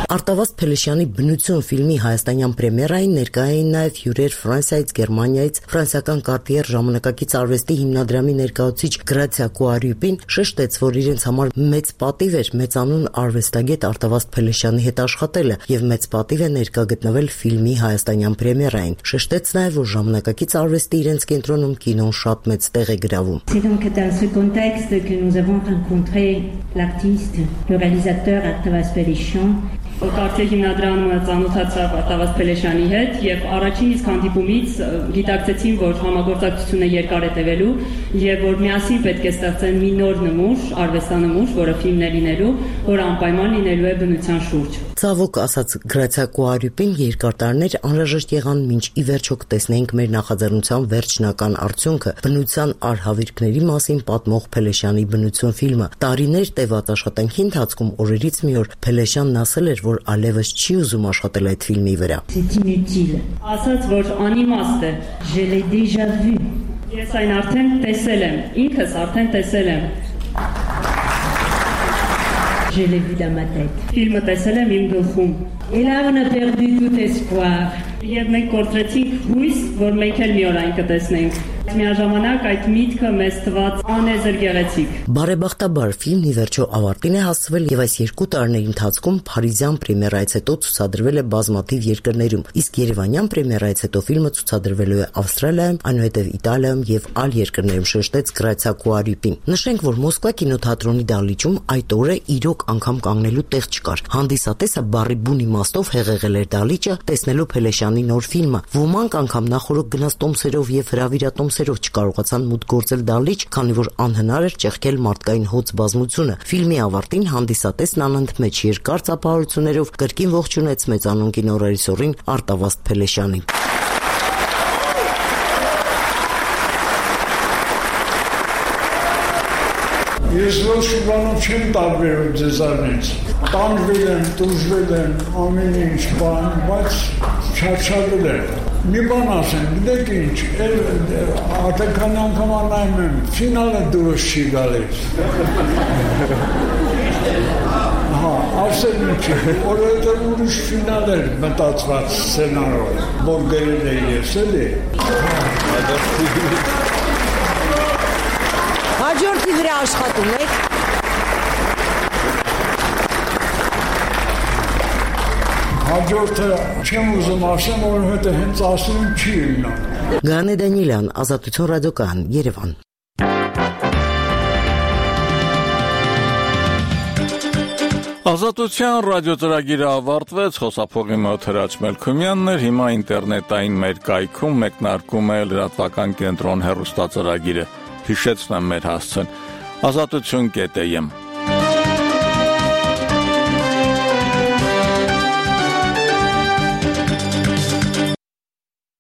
Արտավազդ Փելեշյանի բնություն ֆիլմի հայաստանյան պրեմիերային ներկա էին նաև հյուրեր Ֆրանսիայից, Գերմանիայից, ֆրանսիական Կարտիեր ժամանակակից արվեստի հիմնադրամի ներկայացուցիչ Գրացիա Կուարյուպին շեշտեց, որ իրենց համար մեծ պատիվ էր մեծանուն արվեստագետ Արտավազդ Փելեշյանի հետ աշխատելը եւ մեծ պատիվ է ներկա գտնվել ֆիլմի հայաստանյան պրեմիերային։ Շեշտեց նաև, որ ժամանակակից արվեստի իրենց կենտրոնում կինոն շատ մեծ տեղ է գրավում։ Rencontré l'artiste, le réalisateur Արտավազդ Փելեշյան Կարծիա հիմնադրամը ծանոթացավ Արտավազդ Փելեշյանի հետ եւ առաջին իսկ հանդիպումից գիտակցեցին, որ համագործակցությունը երկար է տևելու եւ որ միասին պետք է ստեղծեն մի նոր նմուշ, արվեստանմուշ, որը ֆիլմն է լինելու, որը անպայման լինելու է բնության շուրջ։ Ցավոք ասաց Գրացիա Կուարյուպին, երկար տարիներ անհրաժեշտ եղան, մինչ ի վերջո կտեսնենք մեր նախաձեռնության վերջնական արդյունքը՝ բնության արհավիրքների մասին պատմող Փելեշյանի բնություն ֆիլմը։ Տարիներ տևած աշխատանքի ընթացքում օրերից մի օր Փելեշյանն ասել էր, որ ալևս չի ուզում աշխատել այդ ֆիլմի վրա։ Ասաց, որ անիմաստ է։ Je l'ai déjà vu։ Ես այն արդեն տեսել եմ, ինքս արդեն տեսել եմ։ Je l'ai vu dans ma tête. Ֆիլմը տեսել եմ իմ գլխում։ Et là on a perdu tout espoir. Եվ մենք կորցրեցինք հույս, որ մենք էլ մի օր այն կտեսնենք։ Միաժամանակ այդ միտքը մեզ թվաց անեզր գեղեցիկ։ Բարեբախտաբար ֆիլմն ի վերջո ավարտին է հասցվել եւ այս երկու տարիների ընթացքում Փարիզյան պրեմիերայից հետո ցուցադրվել է բազմաթիվ երկրներում, իսկ Երևանյան պրեմիերայից հետո ֆիլմը ցուցադրվելու է Ավստրալիայում, այնուհետև Իտալիայում եւ այլ երկրներում, շեշտեց Գրացիա Կուարիպին։ Նշենք, որ Մոսկվա կինոթատրոնի դահլիճում այդ օրը իրոք անգամ կանգնելու տեղ չկար։ Հանդիսատեսը բառի բուն իմաստով հեղեղել էր դահլիճը, տեսնելով Փելեշյանի նոր ֆիլմը։ Ոմանք անգամ նախորդ գնաց տոմսերով եւ հրավիրատոմսերով չկարողացան մուտք գործել դահլիճ, քանի որ անհնար էր ճեղքել մարդկային հոծ բազմությունը։ Ֆիլմի ավարտին հանդիսատեսն անընդմեջ երկար ծափահարություններով կրկին ողջունեց մեծանուն կինոռեժիսորին Արտավազդ Փելեշյանին։ Ես ոչ բանով չեմ տարբերում ձեզանից, տանջվել եմ, տուժվել եմ, ամեն ինչ բան, բայց չարչարվել եմ։ Մի բան ասեմ, գիտեք ինչ, արդեն քանի անգամ անայում եմ, ֆինալը դուրս չի գալիս։ Հա, ասեմ ինչի, որովհետև ուրիշ ֆինալ էր մտածված սցենարով, որ գրել է ես, էլի։ Հաջորդի վրա աշխատում եք։ Հաջորդը չեմ ուզում ասեմ, որովհետև հենց ասում չի իմնա։ Գանե Դանիելյան, Ազատություն ռադիոկայան, Երևան։ Ազատության ռադիոծրագիրը ավարտվեց, խոսափողի մոտ Հրաչ Մելքումյանն էր, հիմա ինտերնետային մեր կայքում մեկնարկում է լրատվական կենտրոն հեռուստածրագիրը։ Հիշեցնեմ մեր հասցեն՝ ազատություն կետ եմ։